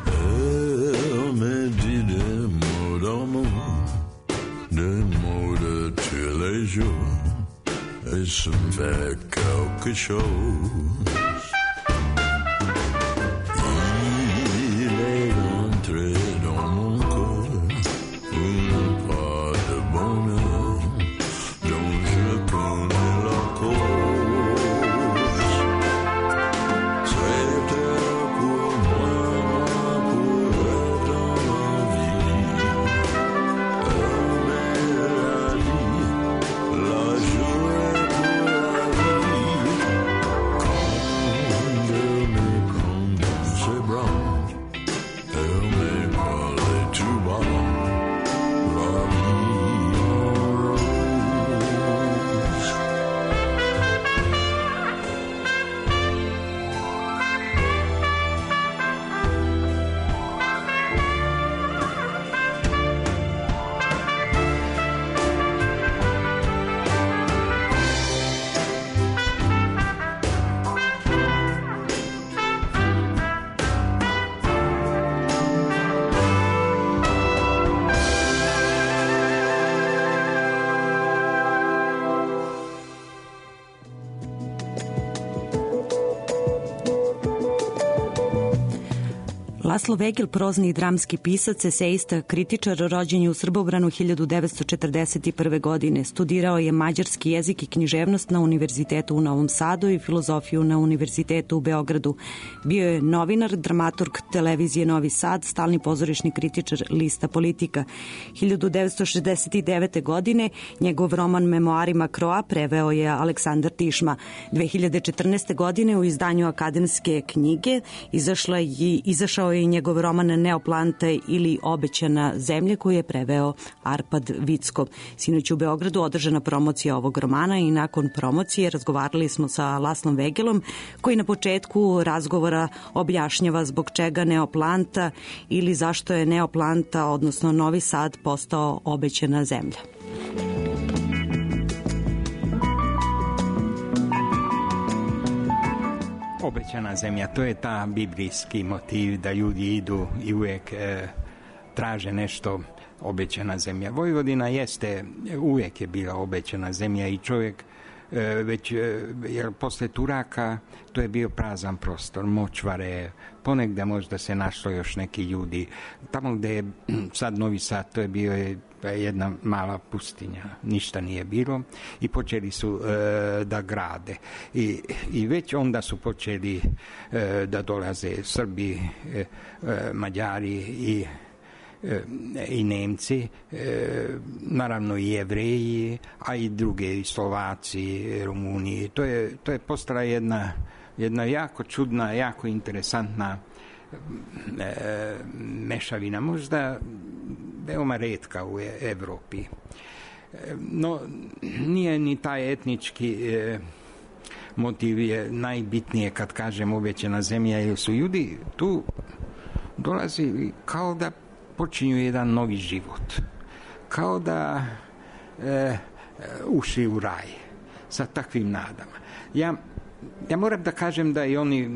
Elle me dit des mots d'amour, des mots de tous les jours, et ça me fait quelque chose. Il est entré dans mon corps, une part de bonheur dont je connais la cause. C'était pour moi, pour être dans ma vie. Elle m'a dit, la journée pour la vie. Quand
Laslo Vegel, prozni i dramski pisac, eseista, kritičar, rođen je u Srbobranu hiljadu devetsto četrdeset prve. godine. Studirao je mađarski jezik i književnost na Univerzitetu u Novom Sadu i filozofiju na Univerzitetu u Beogradu. Bio je novinar, dramaturg televizije Novi Sad, stalni pozorišni kritičar lista Politika. hiljadu devetsto šezdeset devete. godine njegov roman Memoarima Kroa preveo je Aleksandar Tišma. dve hiljade četrnaeste. godine u izdanju Akademske knjige izašla je, izašao je i njegov roman Neoplante ili Obećana zemlja koju je preveo Arpad Vicko. Sinoć u Beogradu održana promocija ovog romana i nakon promocije razgovarali smo sa Laslom Vegelom koji na početku razgovora objašnjava zbog čega Neoplanta ili zašto je Neoplanta, odnosno Novi Sad, postao obećana zemlja.
Obećana zemlja, to je ta biblijski motiv da ljudi idu i uvijek e, traže nešto. Obećana zemlja. Vojvodina jeste, uvijek je bila obećana zemlja i čovjek e, već, e, jer posle Turaka to je bio prazan prostor, močvare, ponegde možda se našlo još neki ljudi. Tamo gde je sad Novi Sad, to je bio je jedna mala pustinja, ništa nije bilo i počeli su e, da grade. I, I već onda su počeli e, da dolaze Srbi, e, e, Mađari i i Nemci, naravno i Jevreji, a i druge, i Slovaci, Rumuniji. To je, to je postala jedna, jedna jako čudna, jako interesantna e, mešavina, možda veoma retka u Evropi. No, nije ni taj etnički e, motiv je najbitnije kad kažem obećana zemlja, jer su ljudi tu dolazili kao da počinju jedan novi život. Kao da e, ušli u raj sa takvim nadama. Ja, ja moram da kažem da i oni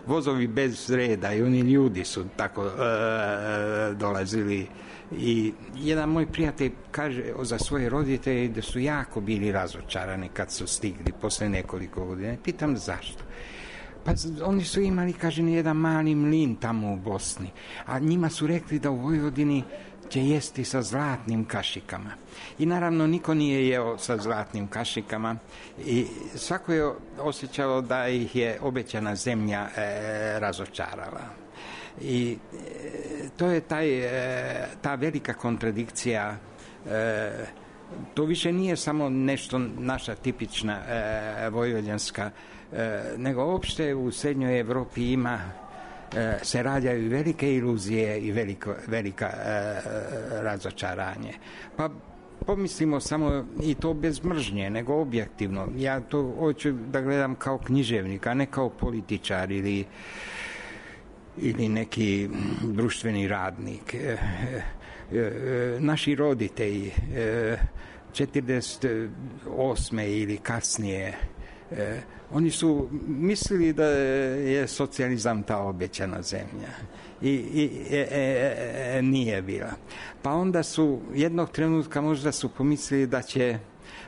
vozovi bez reda i oni ljudi su tako e, dolazili i jedan moj prijatelj kaže za svoje roditelje da su jako bili razočarani kad su stigli posle nekoliko godina. Pitam zašto? Pa oni su imali, kaže, jedan mali mlin tamo u Bosni, a njima su rekli da u Vojvodini će jesti sa zlatnim kašikama. I naravno niko nije jeo sa zlatnim kašikama i svako je osjećao da ih je obećana zemlja e, razočarala. I e, to je taj, e, ta velika kontradikcija. E, to više nije samo nešto naša tipična e, vojvođanska, e, nego uopšte u srednjoj Evropi ima e, se rađaju velike iluzije i veliko, velika e, razočaranje. Pa pomislimo samo, i to bez mržnje, nego objektivno. Ja to hoću da gledam kao književnik, a ne kao političar ili ili neki društveni radnik. E, e, naši roditelji e, četrdeset osme ili kasnije e, oni su mislili da je socijalizam ta obećana zemlja i, i e, e, e, nije bila. Pa onda su jednog trenutka možda su pomislili da će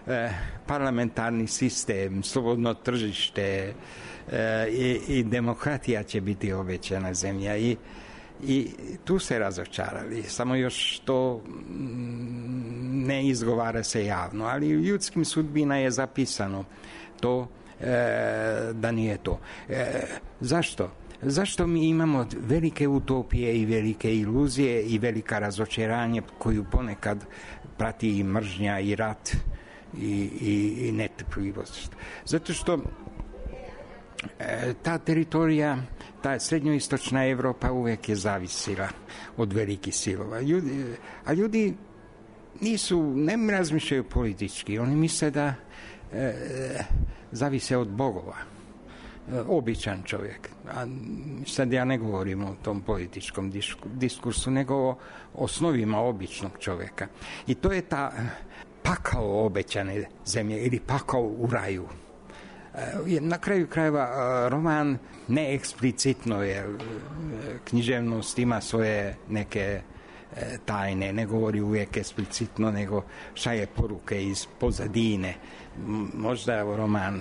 e, parlamentarni sistem, slobodno tržište e, i, i demokratija će biti obećana zemlja i I tu se razočarali, samo još to ne izgovara se javno, ali u ljudskim sudbina je zapisano to e, da nije to. E, zašto? Zašto mi imamo velike utopije i velike iluzije i velika razočaranje koju ponekad prati i mržnja i rat i, i, i netrpljivost? Zato što e, ta teritorija, ta srednjoistočna Evropa uvijek je zavisila od velikih silova. Ljudi, a ljudi nisu, ne razmišljaju politički, oni misle da e, zavise od bogova. E, običan čovjek. A sad ja ne govorim o tom političkom diskursu, nego o osnovima običnog čovjeka. I to je ta pakao obećane zemlje ili pakao u raju. Na kraju krajeva roman ne eksplicitno je, književnost ima svoje neke tajne, ne govori uvijek eksplicitno, nego šalje poruke iz pozadine. Možda roman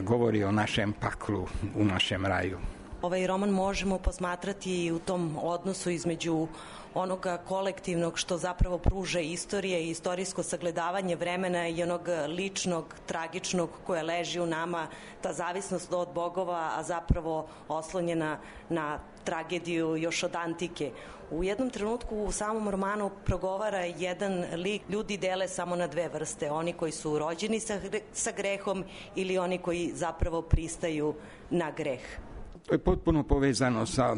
govori o našem paklu u našem raju.
ovaj roman možemo posmatrati u tom odnosu između onoga kolektivnog što zapravo pruža istorije i istorijsko sagledavanje vremena i onog ličnog, tragičnog koje leži u nama, ta zavisnost od bogova, a zapravo oslonjena na tragediju još od antike. U jednom trenutku u samom romanu progovara jedan lik, ljudi dele samo na dve vrste, oni koji su rođeni sa, sa grehom ili oni koji zapravo pristaju na greh.
To je potpuno povezano sa,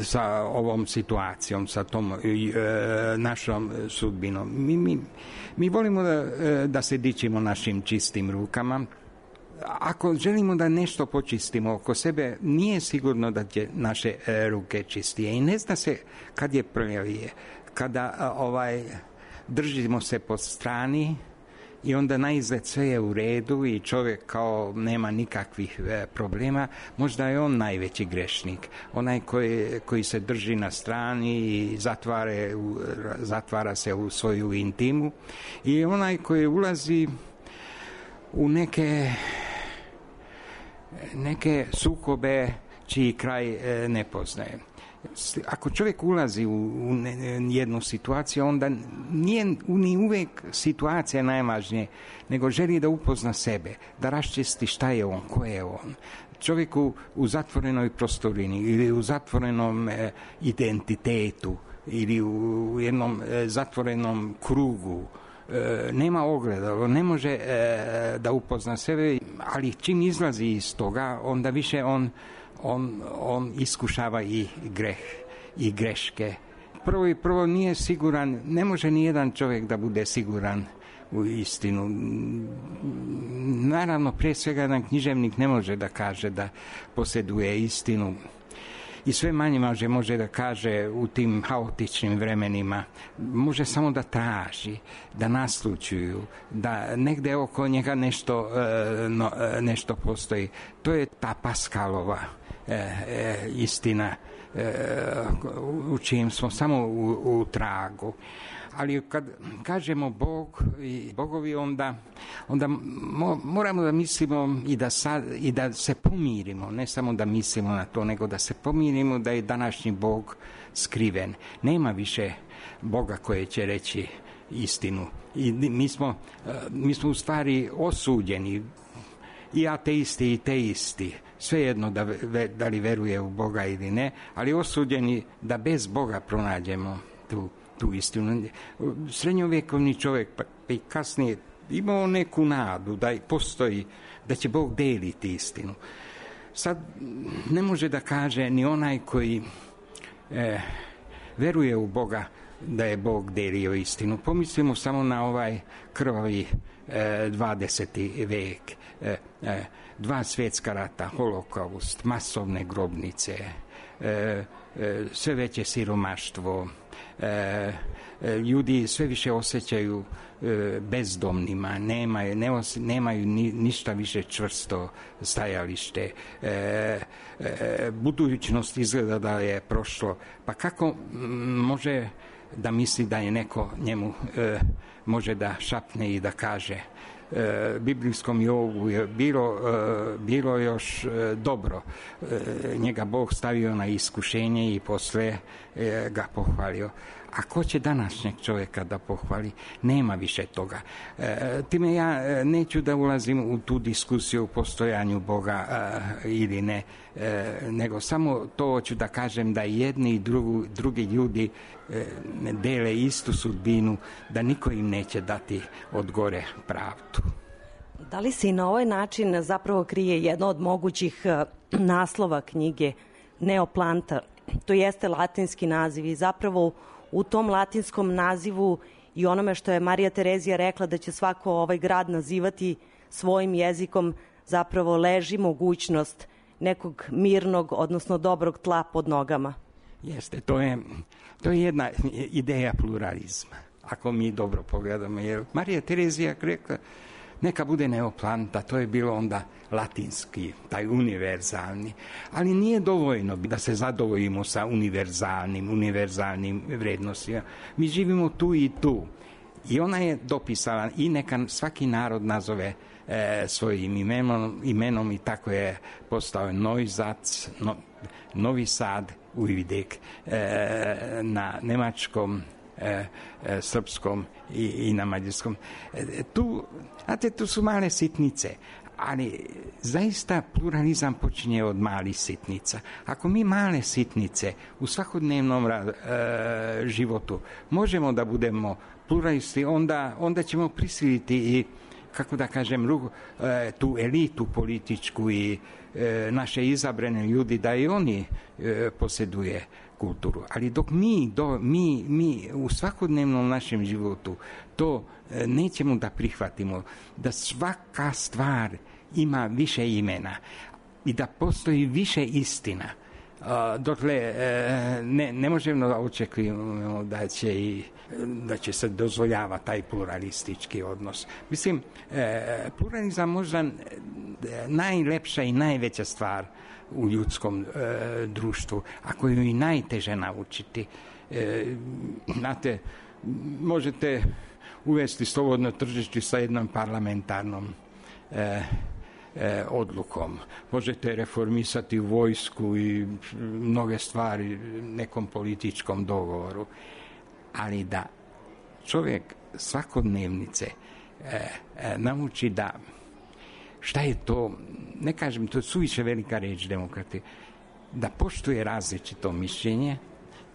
sa ovom situacijom, sa tom e, našom sudbinom. Mi, mi, mi volimo da, da se dičimo našim čistim rukama. Ako želimo da nešto počistimo oko sebe, nije sigurno da će naše e, ruke čistije. I ne zna se kad je prvije, kada ovaj, držimo se po strani i onda na izgled sve je u redu i čovjek kao nema nikakvih e, problema, možda je on najveći grešnik. Onaj koji, koji se drži na strani i zatvare, u, zatvara se u svoju intimu, i onaj koji ulazi u neke neke sukobe čiji kraj e, ne poznaje. Ako čovjek ulazi u, u jednu situaciju, onda nije ni uvijek situacija najvažnije, nego želi da upozna sebe, da raščisti šta je on, ko je on. Čovjek u, u zatvorenoj prostorini ili u zatvorenom e, identitetu ili u, u jednom e, zatvorenom krugu e, nema ogledalo, ne može e, da upozna sebe, ali čim izlazi iz toga, onda više on On, on iskušava i greh i greške. Prvo i prvo nije siguran, ne može ni jedan čovjek da bude siguran u istinu. Naravno, prije svega jedan književnik ne može da kaže da posjeduje istinu i sve manje može, može da kaže u tim haotičnim vremenima. Može samo da traži, da naslućuju, da negde oko njega nešto, no, nešto postoji. To je ta Paskalova E, e, istina e, u čijem smo samo u, u tragu. Ali kad kažemo Bog i bogovi, onda, onda mo, moramo da mislimo i da, sad, i da se pomirimo, ne samo da mislimo na to, nego da se pomirimo da je današnji Bog skriven. Nema više Boga koje će reći istinu. I mi smo, mi smo u stvari osuđeni, i ateisti i teisti, svejedno da, da li veruje u Boga ili ne, ali osuđeni da bez Boga pronađemo tu, tu istinu. Srednjovjekovni čovjek pa, pa i kasnije imao neku nadu da postoji, da će Bog deliti istinu. Sad ne može da kaže ni onaj koji e, veruje u Boga da je Bog delio istinu. Pomislimo samo na ovaj krvavi e, dvadeseti vek. E, e, dva svjetska rata, holokaust, masovne grobnice, e, e, sve veće siromaštvo, e, e, ljudi sve više osjećaju e, bezdomnima, nemaju, ne os, nemaju ni, ništa više čvrsto stajalište, e, e, budućnost izgleda da je prošlo. Pa kako može da misli da je neko njemu e, može da šapne i da kaže e, biblijskom Jobu je bilo, e, bilo još e, dobro. E, njega Bog stavio na iskušenje i posle e, ga pohvalio. A ko će današnjeg čovjeka da pohvali? Nema više toga. E, time ja neću da ulazim u tu diskusiju o postojanju Boga e, ili ne, e, nego samo to hoću da kažem da jedni i drugu, drugi ljudi e, dele istu sudbinu, da niko im neće dati od gore pravdu.
Da li se i na ovaj način zapravo krije jedno od mogućih naslova knjige Neoplanta? To jeste latinski naziv i zapravo u tom latinskom nazivu i onome što je Marija Terezija rekla da će svako ovaj grad nazivati svojim jezikom, zapravo leži mogućnost nekog mirnog, odnosno dobrog tla pod nogama.
Jeste, to je, to je jedna ideja pluralizma, ako mi dobro pogledamo. Jer Marija Terezija rekla neka bude Neoplanta, to je bilo onda latinski, taj univerzalni, ali nije dovoljno da se zadovoljimo sa univerzalnim, univerzalnim vrednostima. Mi živimo tu i tu. I ona je dopisala i neka svaki narod nazove e, svojim imenom, imenom i tako je postao Neuzac, no, Novi Sad, Ujvidek, e, na nemačkom, e, e, srpskom i, i na mađarskom. E, tu, znate, tu su male sitnice, ali zaista pluralizam počinje od malih sitnica. Ako mi male sitnice u svakodnevnom e, životu možemo da budemo pluralisti, onda, onda ćemo prisiliti i, kako da kažem, e, tu elitu političku i e, naše izabrane ljudi da i oni e, posjeduje kulturu. Ali dok mi, do, mi, mi u svakodnevnom našem životu to e, nećemo da prihvatimo, da svaka stvar ima više imena i da postoji više istina, uh, dokle uh, ne, ne možemo da očekujemo da će, i, da će se dozvoljava taj pluralistički odnos. Mislim, uh, pluralizam možda najlepša i najveća stvar u ljudskom uh, društvu, a koju i najteže naučiti. Uh, znate, možete uvesti slobodno tržište sa jednom parlamentarnom uh, E, odlukom. Možete reformisati vojsku i mnoge stvari nekom političkom dogovoru. Ali da čovjek svakodnevnice e, e, nauči da šta je to, ne kažem, to je suviše velika reč demokrati, da poštuje različito mišljenje,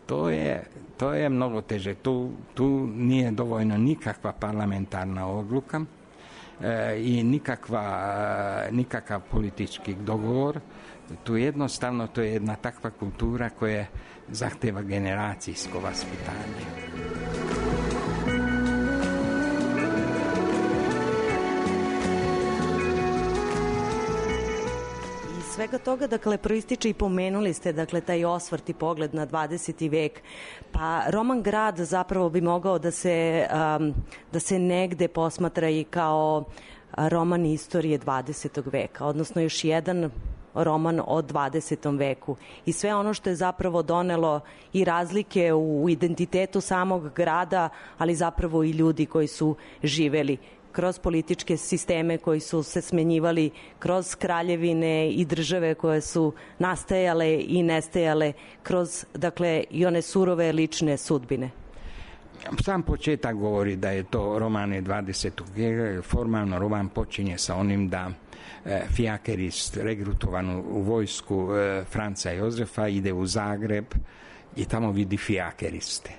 to je, to je mnogo teže. Tu, tu nije dovoljno nikakva parlamentarna odluka i nikakva, nikakav politički dogovor. Tu jednostavno to je jedna takva kultura koja zahteva generacijsko vaspitanje.
Svega toga, dakle, proističe i pomenuli ste, dakle, taj osvrt i pogled na dvadeseti vek. Pa Roman grad zapravo bi mogao da se, um, da se negde posmatra i kao roman istorije dvadesetog veka, odnosno još jedan roman o dvadesetom veku. I sve ono što je zapravo donelo i razlike u identitetu samog grada, ali zapravo i ljudi koji su živeli kroz političke sisteme koji su se smenjivali, kroz kraljevine i države koje su nastajale i nestajale, kroz, dakle, i one surove lične sudbine.
Sam početak govori da je to roman dvadesetog veka. Formalno roman počinje sa onim da e, fijakerist regrutovan u vojsku e, Franca Jozefa ide u Zagreb i tamo vidi fijakeriste.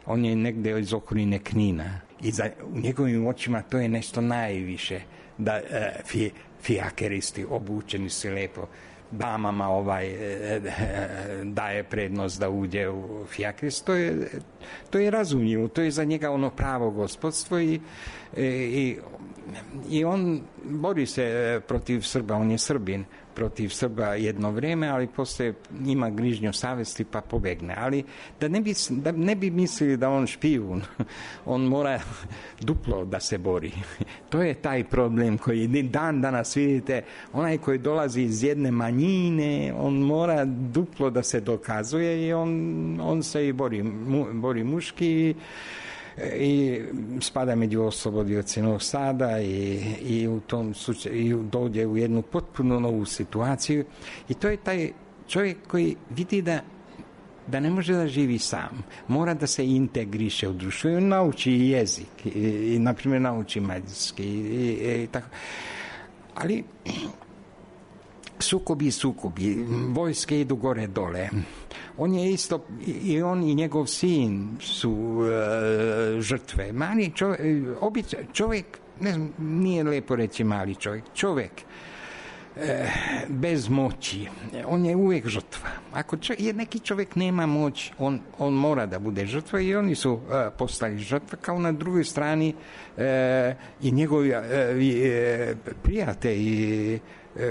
On je negde iz okoline Knina i za, u njegovim očima to je nešto najviše, da e, fi, fijakeristi obučeni se lepo, damama ovaj e, e, daje prednost da uđe u fijakerist. To je, to je razumljivo, to je za njega ono pravo gospodstvo i, e, i, i on bori se protiv Srba, on je Srbin, protiv Srba jedno vreme, ali posle ima grižnju savesti pa pobegne. Ali da ne bi, da ne bi mislili da on špijun, on mora duplo da se bori. To je taj problem koji dan danas vidite, onaj koji dolazi iz jedne manjine, on mora duplo da se dokazuje i on, on se i bori, mu, bori muški i spada među oslobodioce Novog Sada i, i u tom slučaju dođe u jednu potpuno novu situaciju i to je taj čovjek koji vidi da da ne može da živi sam, mora da se integriše u društvo i nauči i jezik i, i na primjer nauči mađarski i, i, i tako. Ali sukobi, sukobi, vojske idu gore dole. On je isto, i on i njegov sin su e, žrtve. Mali čovjek, obič, čovjek, ne znam, nije lepo reći mali čovjek, čovjek e, bez moći, on je uvijek žrtva. Ako čovjek, neki čovjek nema moć, on, on mora da bude žrtva i oni su e, postali žrtva, kao na drugoj strani e, i njegovi e, e, prijatelji,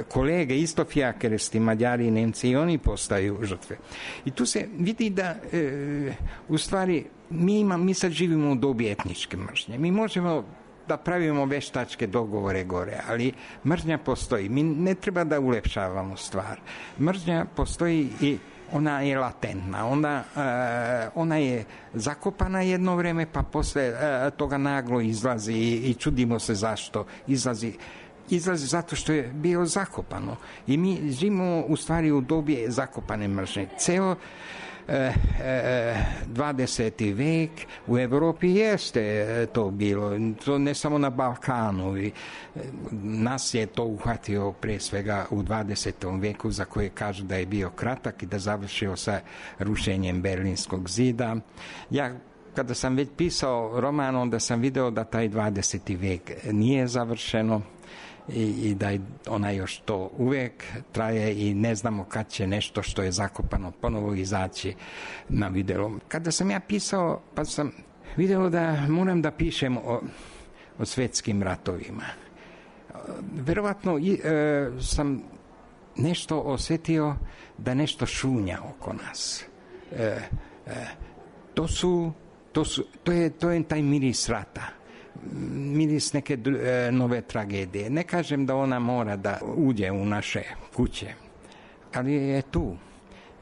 kolege, isto fijakeristi, Mađari i Nemci, i oni postaju žrtve. I tu se vidi da e, u stvari mi, ima, mi sad živimo u dobi etničke mržnje. Mi možemo da pravimo veštačke dogovore gore, ali mržnja postoji. Mi ne treba da ulepšavamo stvar. Mržnja postoji i ona je latentna. Ona, e, ona je zakopana jedno vreme, pa posle e, toga naglo izlazi i, i čudimo se zašto izlazi. izlazi zato što je bio zakopano. I mi živimo u stvari u dobi zakopane mržnje. Ceo e, e, dvadeseti vek u Evropi jeste to bilo. To ne samo na Balkanu. I, e, nas je to uhvatio pre svega u dvadesetom veku, za koje kažu da je bio kratak i da završio sa rušenjem Berlinskog zida. Ja kada sam već pisao roman, onda sam video da taj dvadeseti vek nije završeno i, i da ona još to uvek traje i ne znamo kad će nešto što je zakopano ponovo izaći na videlo. Kada sam ja pisao, pa sam video da moram da pišem o, o svetskim ratovima. Verovatno i, e, sam nešto osetio da nešto šunja oko nas. E, e, to su To, su, to, je, to je taj miris rata, miris neke e, nove tragedije. Ne kažem da ona mora da uđe u naše kuće, ali je tu,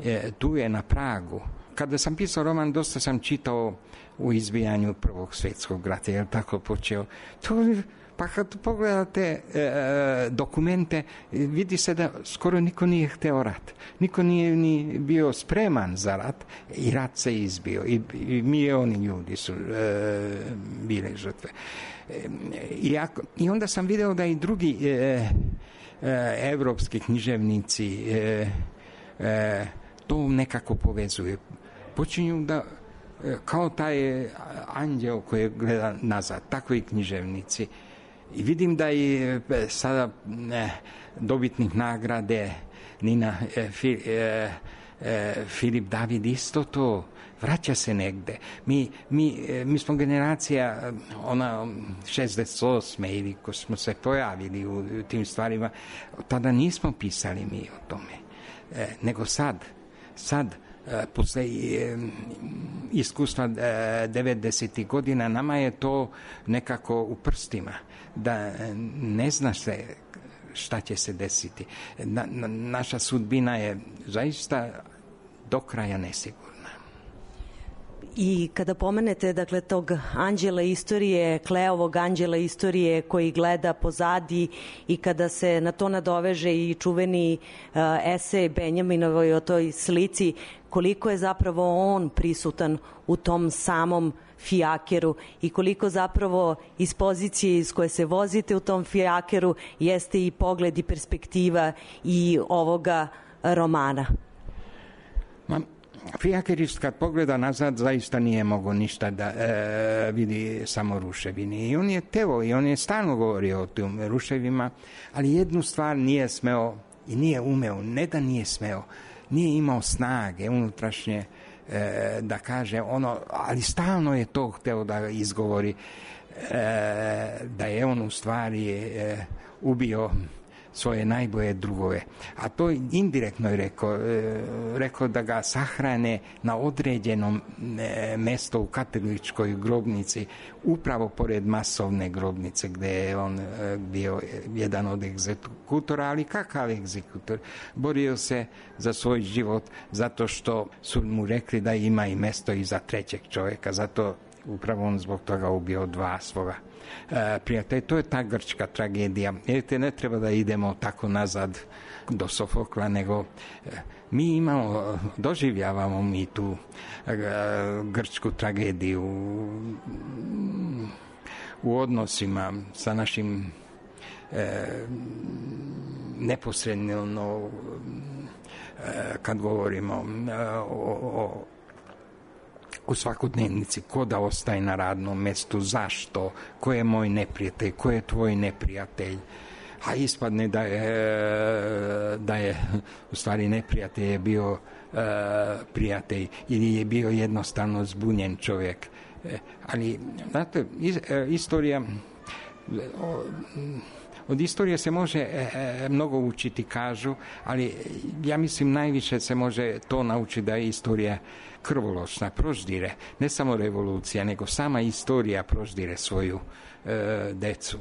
e, tu je na pragu. Kada sam pisao roman, dosta sam čitao u izbijanju Prvog svjetskog rata, jer tako počeo. To, pa kad pogledate e, dokumente, vidi se da skoro niko nije hteo rat. Niko nije ni bio spreman za rat i rat se izbio. I, i milioni ljudi su e, bile žrtve. E, i, ako, I onda sam video da i drugi e, e, evropski književnici e, e, to nekako povezuju. Počinju da kao taj anđeo koji gleda nazad, tako i književnici. I vidim da i sada e, dobitnik nagrade Nina e, fi, e, e, Filip David isto to vraća se negde. Mi, mi, e, mi smo generacija ona šezdeset osme ili ko smo se pojavili u, u tim stvarima, tada nismo pisali mi o tome. E, nego sad, sad posle iskustva devedesetih godina nama je to nekako u prstima, da ne zna se šta će se desiti. Na, na, naša sudbina je zaista do kraja nesigurna.
I kada pomenete, dakle, tog anđela istorije, Kleovog anđela istorije koji gleda pozadi i kada se na to nadoveže i čuveni uh, esej Benjaminovoj o toj slici, koliko je zapravo on prisutan u tom samom fijakeru i koliko zapravo iz pozicije iz koje se vozite u tom fijakeru jeste i pogled i perspektiva i ovoga romana.
Ma, fijakerist kad pogleda nazad zaista nije mogo ništa da e, vidi samo ruševine. I on je teo i on je stalno govorio o tim ruševima, ali jednu stvar nije smeo i nije umeo, ne da nije smeo, nije imao snage unutrašnje e, da kaže ono, ali stalno je to hteo da izgovori, e, da je on u stvari e, ubio svoje najbolje drugove. A to indirektno je rekao, e, rekao da ga sahrane na određenom e, mesto u katoličkoj grobnici, upravo pored masovne grobnice gde je on e, bio jedan od egzekutora, ali kakav egzekutor? Borio se za svoj život zato što su mu rekli da ima i mesto i za trećeg čovjeka, zato upravo on zbog toga ubio dva svoga e, prijatelja. To je ta grčka tragedija. Vidite, ne treba da idemo tako nazad do Sofokla, nego e, mi imamo, doživljavamo mi tu e, grčku tragediju u odnosima sa našim e, neposredno e, kad govorimo e, o, o u svakodnevnici, ko da ostaje na radnom mestu, zašto, ko je moj neprijatelj, ko je tvoj neprijatelj, a ispadne da je, da je u stvari neprijatelj je bio e, prijatelj ili je bio jednostavno zbunjen čovjek. E, ali, znate, is, e, istorija o, od istorije se može e, mnogo učiti, kažu, ali ja mislim najviše se može to naučiti da je istorija krvoločna, proždire, ne samo revolucija, nego sama istorija proždire svoju e, decu.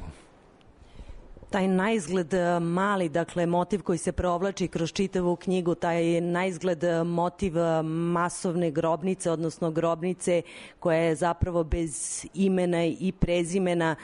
Taj naizgled mali, dakle, motiv koji se provlači kroz čitavu knjigu, taj naizgled motiv masovne grobnice, odnosno grobnice koja je zapravo bez imena i prezimena,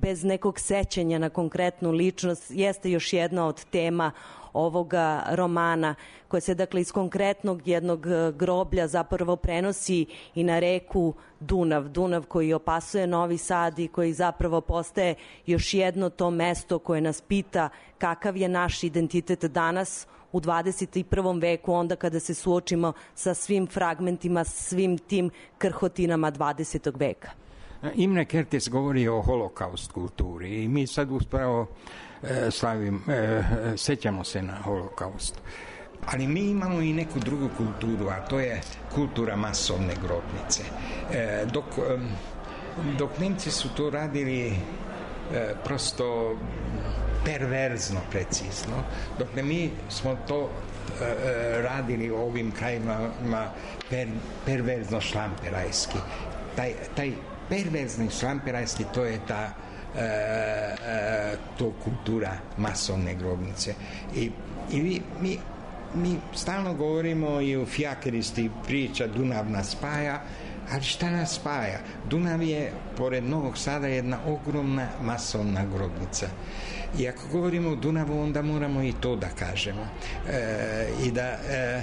bez nekog sećanja na konkretnu ličnost, jeste još jedna od tema ovoga romana, koja se dakle iz konkretnog jednog groblja zapravo prenosi i na reku Dunav. Dunav koji opasuje Novi Sad i koji zapravo postaje još jedno to mesto koje nas pita kakav je naš identitet danas u dvadeset prvom veku, onda kada se suočimo sa svim fragmentima, svim tim krhotinama dvadesetog veka.
Imre Kertész govori o holokaust kulturi i mi sad uspravo e, slavim, e, sećamo se na holokaust. Ali mi imamo i neku drugu kulturu, a to je kultura masovne grobnice. E, dok, e, dok Nemci su to radili e, prosto perverzno, precizno, dok ne mi smo to e, radili u ovim krajima per, perverzno šlamperajski. Taj, taj perverzni šlamperajski, to je ta e, e, to kultura masovne grobnice. I, i mi, mi stalno govorimo i u Fijakeristi priča Dunav nas spaja, ali šta nas spaja? Dunav je, pored Novog Sada, jedna ogromna masovna grobnica. I ako govorimo o Dunavu, onda moramo i to da kažemo. E, I da, e,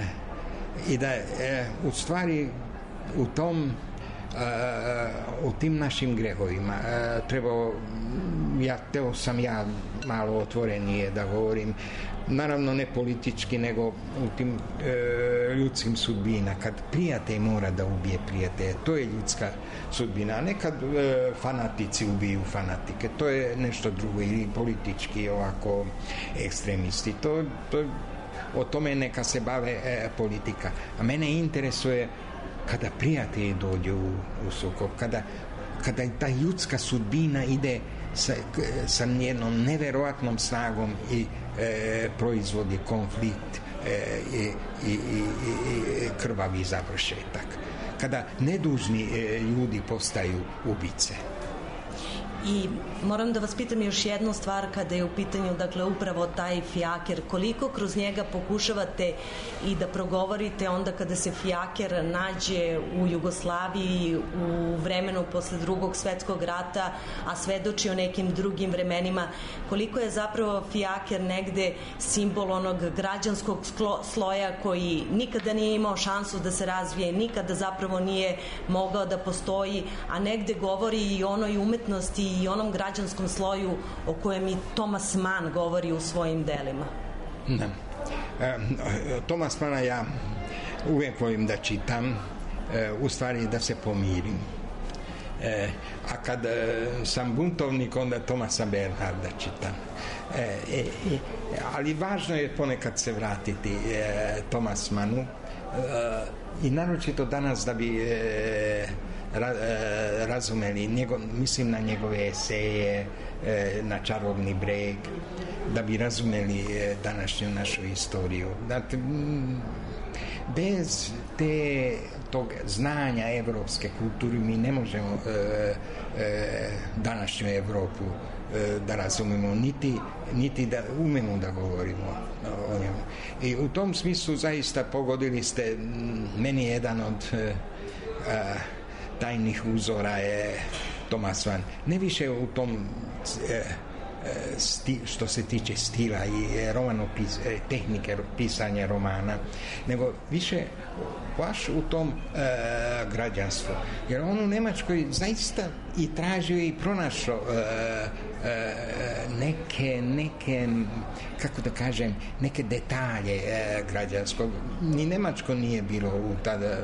i da e, u stvari u tom u tim našim grehovima trebao, ja, teo sam ja malo otvorenije da govorim, naravno ne politički, nego u tim e, ljudskim sudbina, kad prijatelj mora da ubije prijatelje, to je ljudska sudbina, a ne kad e, fanatici ubiju fanatike, to je nešto drugo, ili politički ovako ekstremisti, to, to, o tome neka se bave e, politika, a mene interesuje kada prijatelji dođu u, u sukob, kada, kada ta ljudska sudbina ide sa, sa jednom neverovatnom snagom i e, proizvodi konflikt e, i, i, i, i krvavi završetak. Kada nedužni e, ljudi postaju ubice.
I moram da vas pitam još jednu stvar kada je u pitanju, dakle, upravo taj fijaker. Koliko kroz njega pokušavate i da progovorite onda kada se fijaker nađe u Jugoslaviji u vremenu posle drugog svetskog rata, a svedoči o nekim drugim vremenima, koliko je zapravo fijaker negde simbol onog građanskog sloja koji nikada nije imao šansu da se razvije, nikada zapravo nije mogao da postoji, a negde govori i onoj umetnosti i onom građanskom sloju o kojem i Thomas Mann govori u svojim delima.
Da. E, Thomas Manna ja uvijek volim da čitam, e, u stvari da se pomirim. E, a kad e, sam buntovnik, onda Thomasa Bernharda čitam. E, e, ali važno je ponekad se vratiti e, Thomas Mannu e, i naročito danas da bi e, Ra, e, razumeli, njego, mislim na njegove eseje, e, na Čarobni breg, da bi razumeli e, današnju našu istoriju. Dakle, bez te, tog znanja evropske kulture mi ne možemo e, e, današnju Evropu e, da razumemo, niti, niti da umemo da govorimo o njemu. I u tom smislu zaista pogodili ste, meni jedan od e, a, tajnih uzora je Thomas Mann. Ne više u tom e, sti, što se tiče stila i romanopis, tehnike pisanja romana, nego više baš u tom e, građanstvu. Jer on u Nemačkoj zaista i tražio i pronašao e, e, neke, neke, kako da kažem, neke detalje e, građanskog. Ni Nemačko nije bilo u tada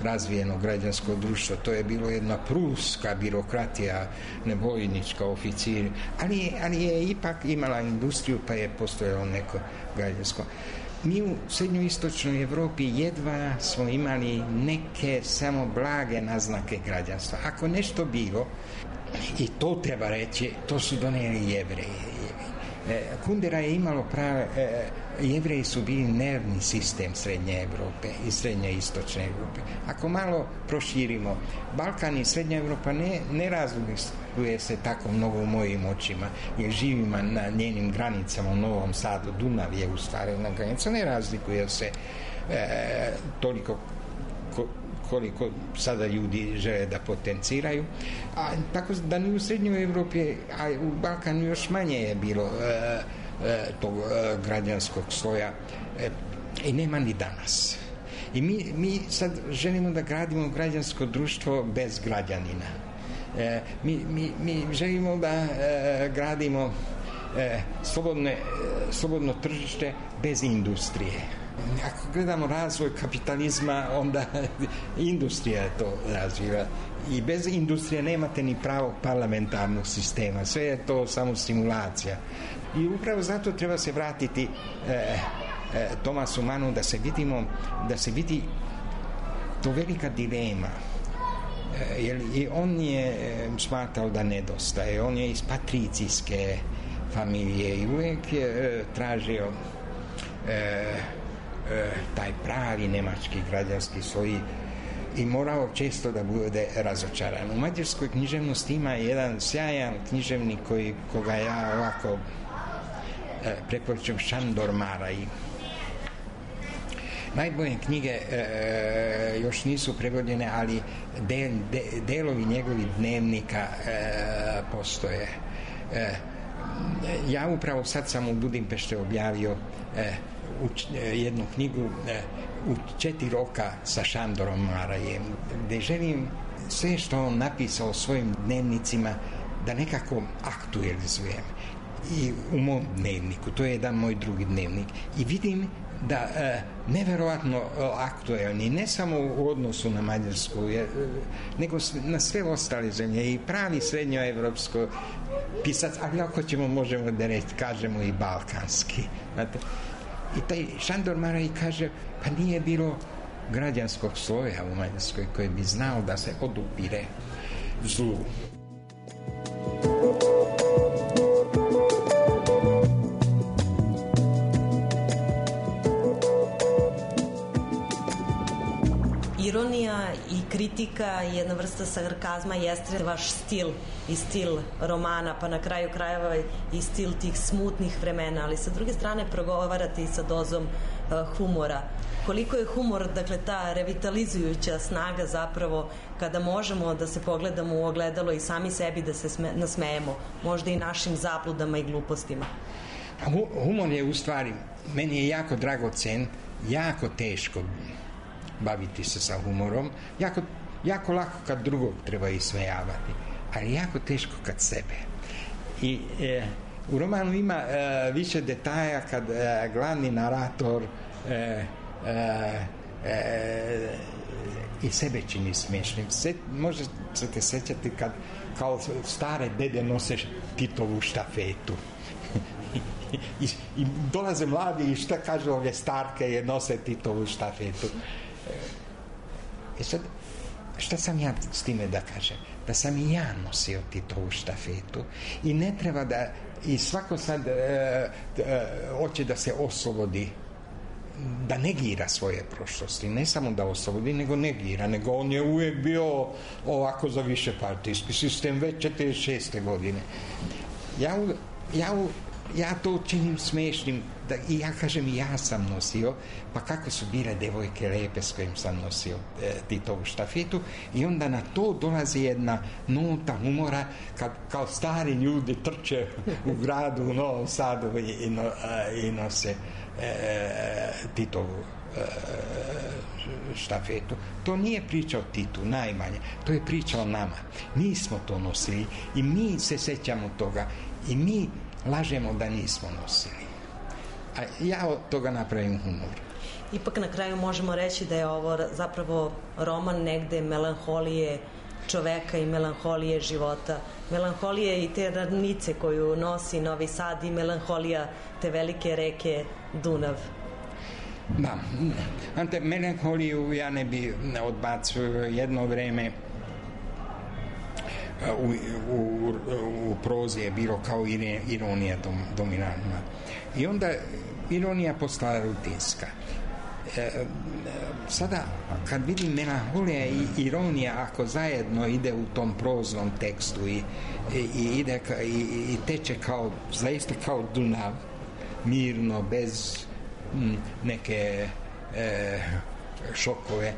razvijeno građansko društvo, to je bilo jedna pruska birokratija, nevojnička, oficir, ali, ali je ipak imala industriju, pa je postojalo neko građansko. Mi u srednjoistočnoj Evropi jedva smo imali neke samo blage naznake građanstva. Ako nešto bilo, i to treba reći, to su doneli Jevreji. Kundera je imalo prave, Jevreji su bili nervni sistem Srednje Evrope i Srednje Istočne Evrope. Ako malo proširimo, Balkan i Srednja Evropa ne, ne razlikuje se tako mnogo u mojim očima, jer živimo na njenim granicama u Novom Sadu, Dunav je u stvari na granica, ne razlikuje se e, toliko ko, koliko sada ljudi žele da potenciraju. A tako da ni u Srednjoj Evropi, a u Balkanu još manje je bilo e, e, tog e, građanskog sloja e, i nema ni danas. I mi, mi sad želimo da gradimo građansko društvo bez građanina. E, mi, mi, mi želimo da e, gradimo e, slobodne, e, slobodno tržište bez industrije. Ako gledamo razvoj kapitalizma, onda industrija to razvija. I bez industrije nemate ni pravog parlamentarnog sistema. Sve je to samo simulacija. I upravo zato treba se vratiti e, e, Tomasu Manu da se vidimo, da se vidi to velika dilema. E, jer i on je e, smatrao da nedostaje. On je iz patricijske familije i uvijek je e, tražio e, taj pravi nemački građanski sloj i morao često da bude razočaran. U mađarskoj književnosti ima jedan sjajan književnik koji, koga ja ovako e, preporučujem, Šandor Maraj. Najbolje knjige e, još nisu prevođene, ali del, de, delovi njegovih dnevnika e, postoje. E, ja upravo sad sam u Budimpešte objavio e, u jednu knjigu u četiri roka sa Šandorom Marajem, gdje želim sve što on napisao svojim dnevnicima da nekako aktualizujem i u mom dnevniku. To je jedan moj drugi dnevnik i vidim da e, neverovatno aktuelni, ne samo u odnosu na Mađarsku, je, nego na sve ostale zemlje i pravi srednjoevropsko pisac, ali ako ćemo možemo da reći, kažemo i balkanski. Znate? I taj Šandor Maraj kaže, pa nije bilo građanskog sloja u Mađarskoj koji bi znao da se odupire zlu.
Ironija i kritika i jedna vrsta sarkazma jeste vaš stil i stil romana, pa na kraju krajeva i stil tih smutnih vremena, ali sa druge strane progovarate i sa dozom uh, humora. Koliko je humor, dakle, ta revitalizujuća snaga zapravo kada možemo da se pogledamo u ogledalo i sami sebi da se sme, nasmejemo, možda i našim zabludama i glupostima?
Humor je u stvari, meni je jako dragocen, jako teško baviti se sa humorom, jako, jako lako kad drugog treba ismejavati, ali jako teško kad sebe. I e, u romanu ima e, više detalja kad e, glavni narator e, e, e, i sebe čini smiješnim. Se, možda se te sećati kad kao stare dede nose Titovu štafetu. I, i dolaze mladi i šta kažu ove starke je nose Titovu štafetu. E sad, šta sam ja s time da kažem? Da sam i ja nosio Titovu štafetu i ne treba da, i svako sad e, e, hoće da se oslobodi, da negira svoje prošlosti, ne samo da oslobodi, nego negira, nego on je uvijek bio ovako za više partijski sistem već četrdeset šeste godine. Ja, ja, ja to činim smešnim, da, i ja kažem, ja sam nosio, pa kako su bile devojke lepe s kojim sam nosio e, Titovu štafetu, i onda na to dolazi jedna nota humora kad kao stari ljudi trče u gradu u Novom Sadu i, i, no, a, i nose e, Titovu e, štafetu. To nije priča o Titu, najmanje, to je priča o nama. Mi smo to nosili i mi se sećamo toga i mi lažemo da nismo nosili. A ja od toga napravim humor.
Ipak na kraju možemo reći da je ovo zapravo roman negde melanholije čoveka i melanholije života. Melanholije i te ravnice koju nosi Novi Sad i melanholija te velike reke Dunav.
Da, ante melanholiju ja ne bi odbacio. Jedno vreme u, u, u prozi je bilo kao ironija dom, dominantna. I onda ironija postala rutinska. E, sada kad vidim melanholija i ironija ako zajedno ide u tom proznom tekstu i, i, i ide i, i teče kao zaista kao Dunav, mirno, bez m, neke e, šokove,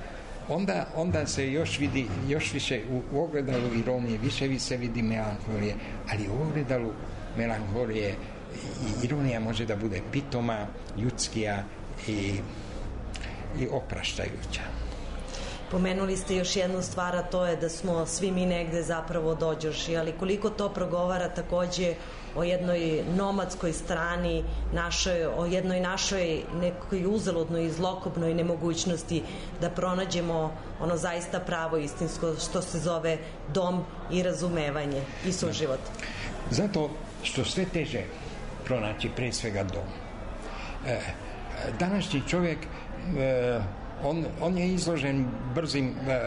onda, onda se još vidi, još više u, u ogledalu ironije, više se vidi melanholije, ali u ogledalu melanholije i ironija može da bude pitoma, ljudskija i, i opraštajuća.
Pomenuli ste još jednu stvar, a to je da smo svi mi negde zapravo dođoši, ali koliko to progovara takođe o jednoj nomadskoj strani, našoj, o jednoj našoj nekoj uzaludnoj i zlokobnoj nemogućnosti da pronađemo ono zaista pravo istinsko što se zove dom i razumevanje i suživot.
Zato što sve teže pronaći pre svega dom. E, današnji čovjek e, On, on je izložen brzim e,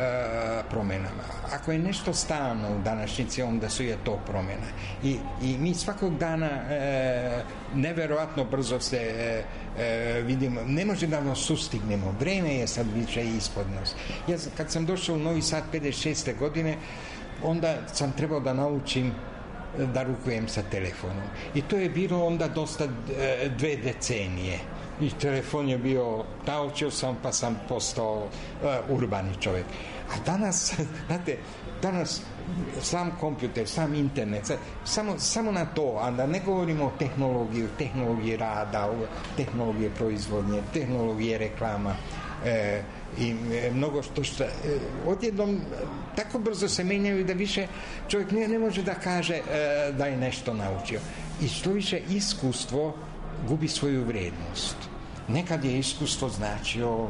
promenama. Ako je nešto stalno u današnjici, onda su je to promjena. I, i mi svakog dana e, neverovatno brzo se e, e, vidimo. Ne može da nas sustignemo. Vreme je sad više ispod nas. Ja kad sam došao u Novi Sad pedeset šeste godine, onda sam trebao da naučim da rukujem sa telefonom. I to je bilo onda dosta e, dve decenije. I telefon je bio, naučio sam pa sam postao uh, urbani čovjek. A danas, znate, danas sam kompjuter, sam internet, samo, samo na to, a da ne govorimo o tehnologiji, tehnologiji rada, o tehnologije proizvodnje, tehnologije reklama, e, i e, mnogo što što e, odjednom tako brzo se menjaju da više čovjek ne, ne može da kaže e, da je nešto naučio. I što više iskustvo gubi svoju vrednost. Nekad je iskustvo značio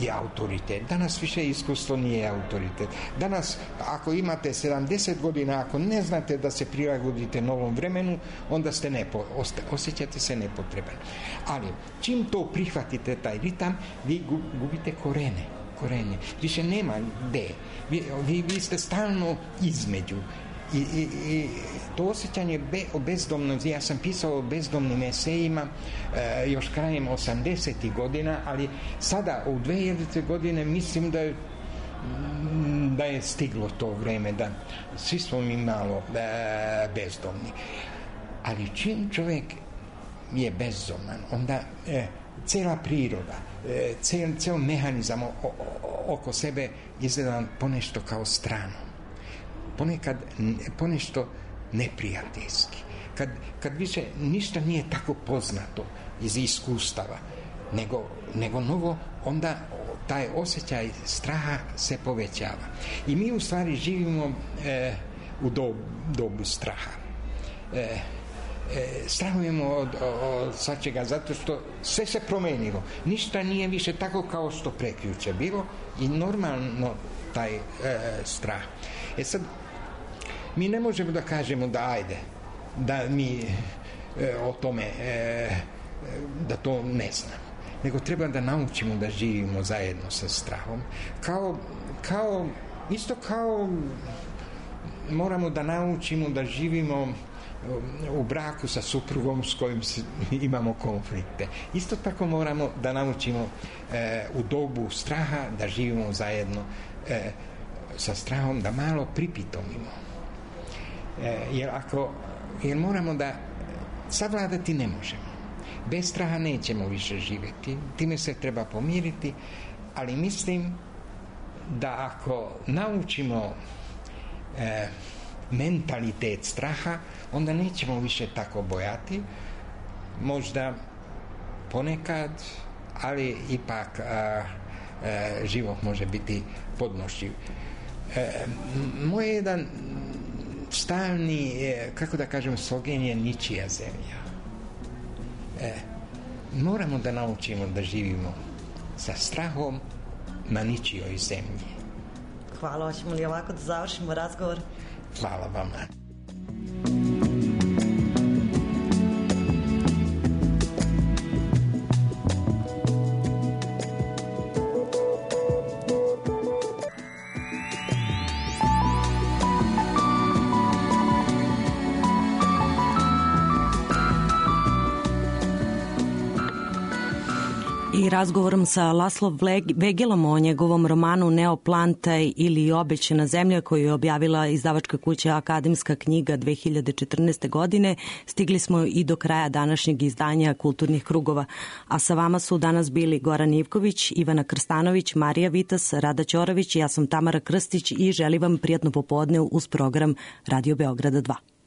i autoritet. Danas više iskustvo nije autoritet. Danas, ako imate sedamdeset godina, ako ne znate da se prilagodite novom vremenu, onda ste nepo, osjećate se nepotreban. Ali, čim to prihvatite, taj ritam, vi gubite korene. Korenje. Više nema gde. Vi, vi, vi ste stalno između. I, i, i to osjećanje be, o bezdomnosti, ja sam pisao o bezdomnim esejima e, još krajem osamdesetih godina, ali sada u dve hiljadite godine mislim da je, da je stiglo to vreme, da svi smo mi malo e, bezdomni. Ali čim čovjek je bezdoman, onda e, cela priroda, e, cel, cel mehanizam o, o, oko sebe izgleda ponešto kao strano. Ponekad ponešto neprijateljski. Kad, kad više ništa nije tako poznato iz iskustava, nego, nego novo, onda taj osjećaj straha se povećava. I mi u stvari živimo e, u dob, dobu straha. E, e, strahujemo od, od svačega zato što sve se promenilo. Ništa nije više tako kao što prekjuče bilo i normalno taj e, strah. E sad, mi ne možemo da kažemo da ajde, da mi e, o tome, e, da to ne znam. Nego treba da naučimo da živimo zajedno sa strahom. Kao, kao, isto kao moramo da naučimo da živimo u braku sa suprugom s kojim imamo konflikte. Isto tako moramo da naučimo e, u dobu straha da živimo zajedno e, sa strahom, da malo pripitomimo. E, jer ako jer moramo da savladati ne možemo. Bez straha nećemo više živjeti. Time se treba pomiriti, ali mislim da ako naučimo e, mentalitet straha, onda nećemo više tako bojati. Možda ponekad, ali ipak a, a, život može biti podnošljiv. E, moj jedan stalni, kako da kažem, slogan je ničija zemlja. E, moramo da naučimo da živimo sa strahom na ničijoj zemlji.
Hvala, hoćemo li ovako da završimo razgovor?
Hvala vama.
I razgovorom sa Laslo Vegelom o njegovom romanu Neoplantaj ili Obećana zemlja, koju je objavila izdavačka kuća Akademska knjiga dve hiljade četrnaeste. godine, stigli smo i do kraja današnjeg izdanja Kulturnih krugova. A sa vama su danas bili Goran Ivković, Ivana Krstanović, Marija Vitas, Rada Ćorović, ja sam Tamara Krstić i želim vam prijatno popodne uz program Radio Beograda dva.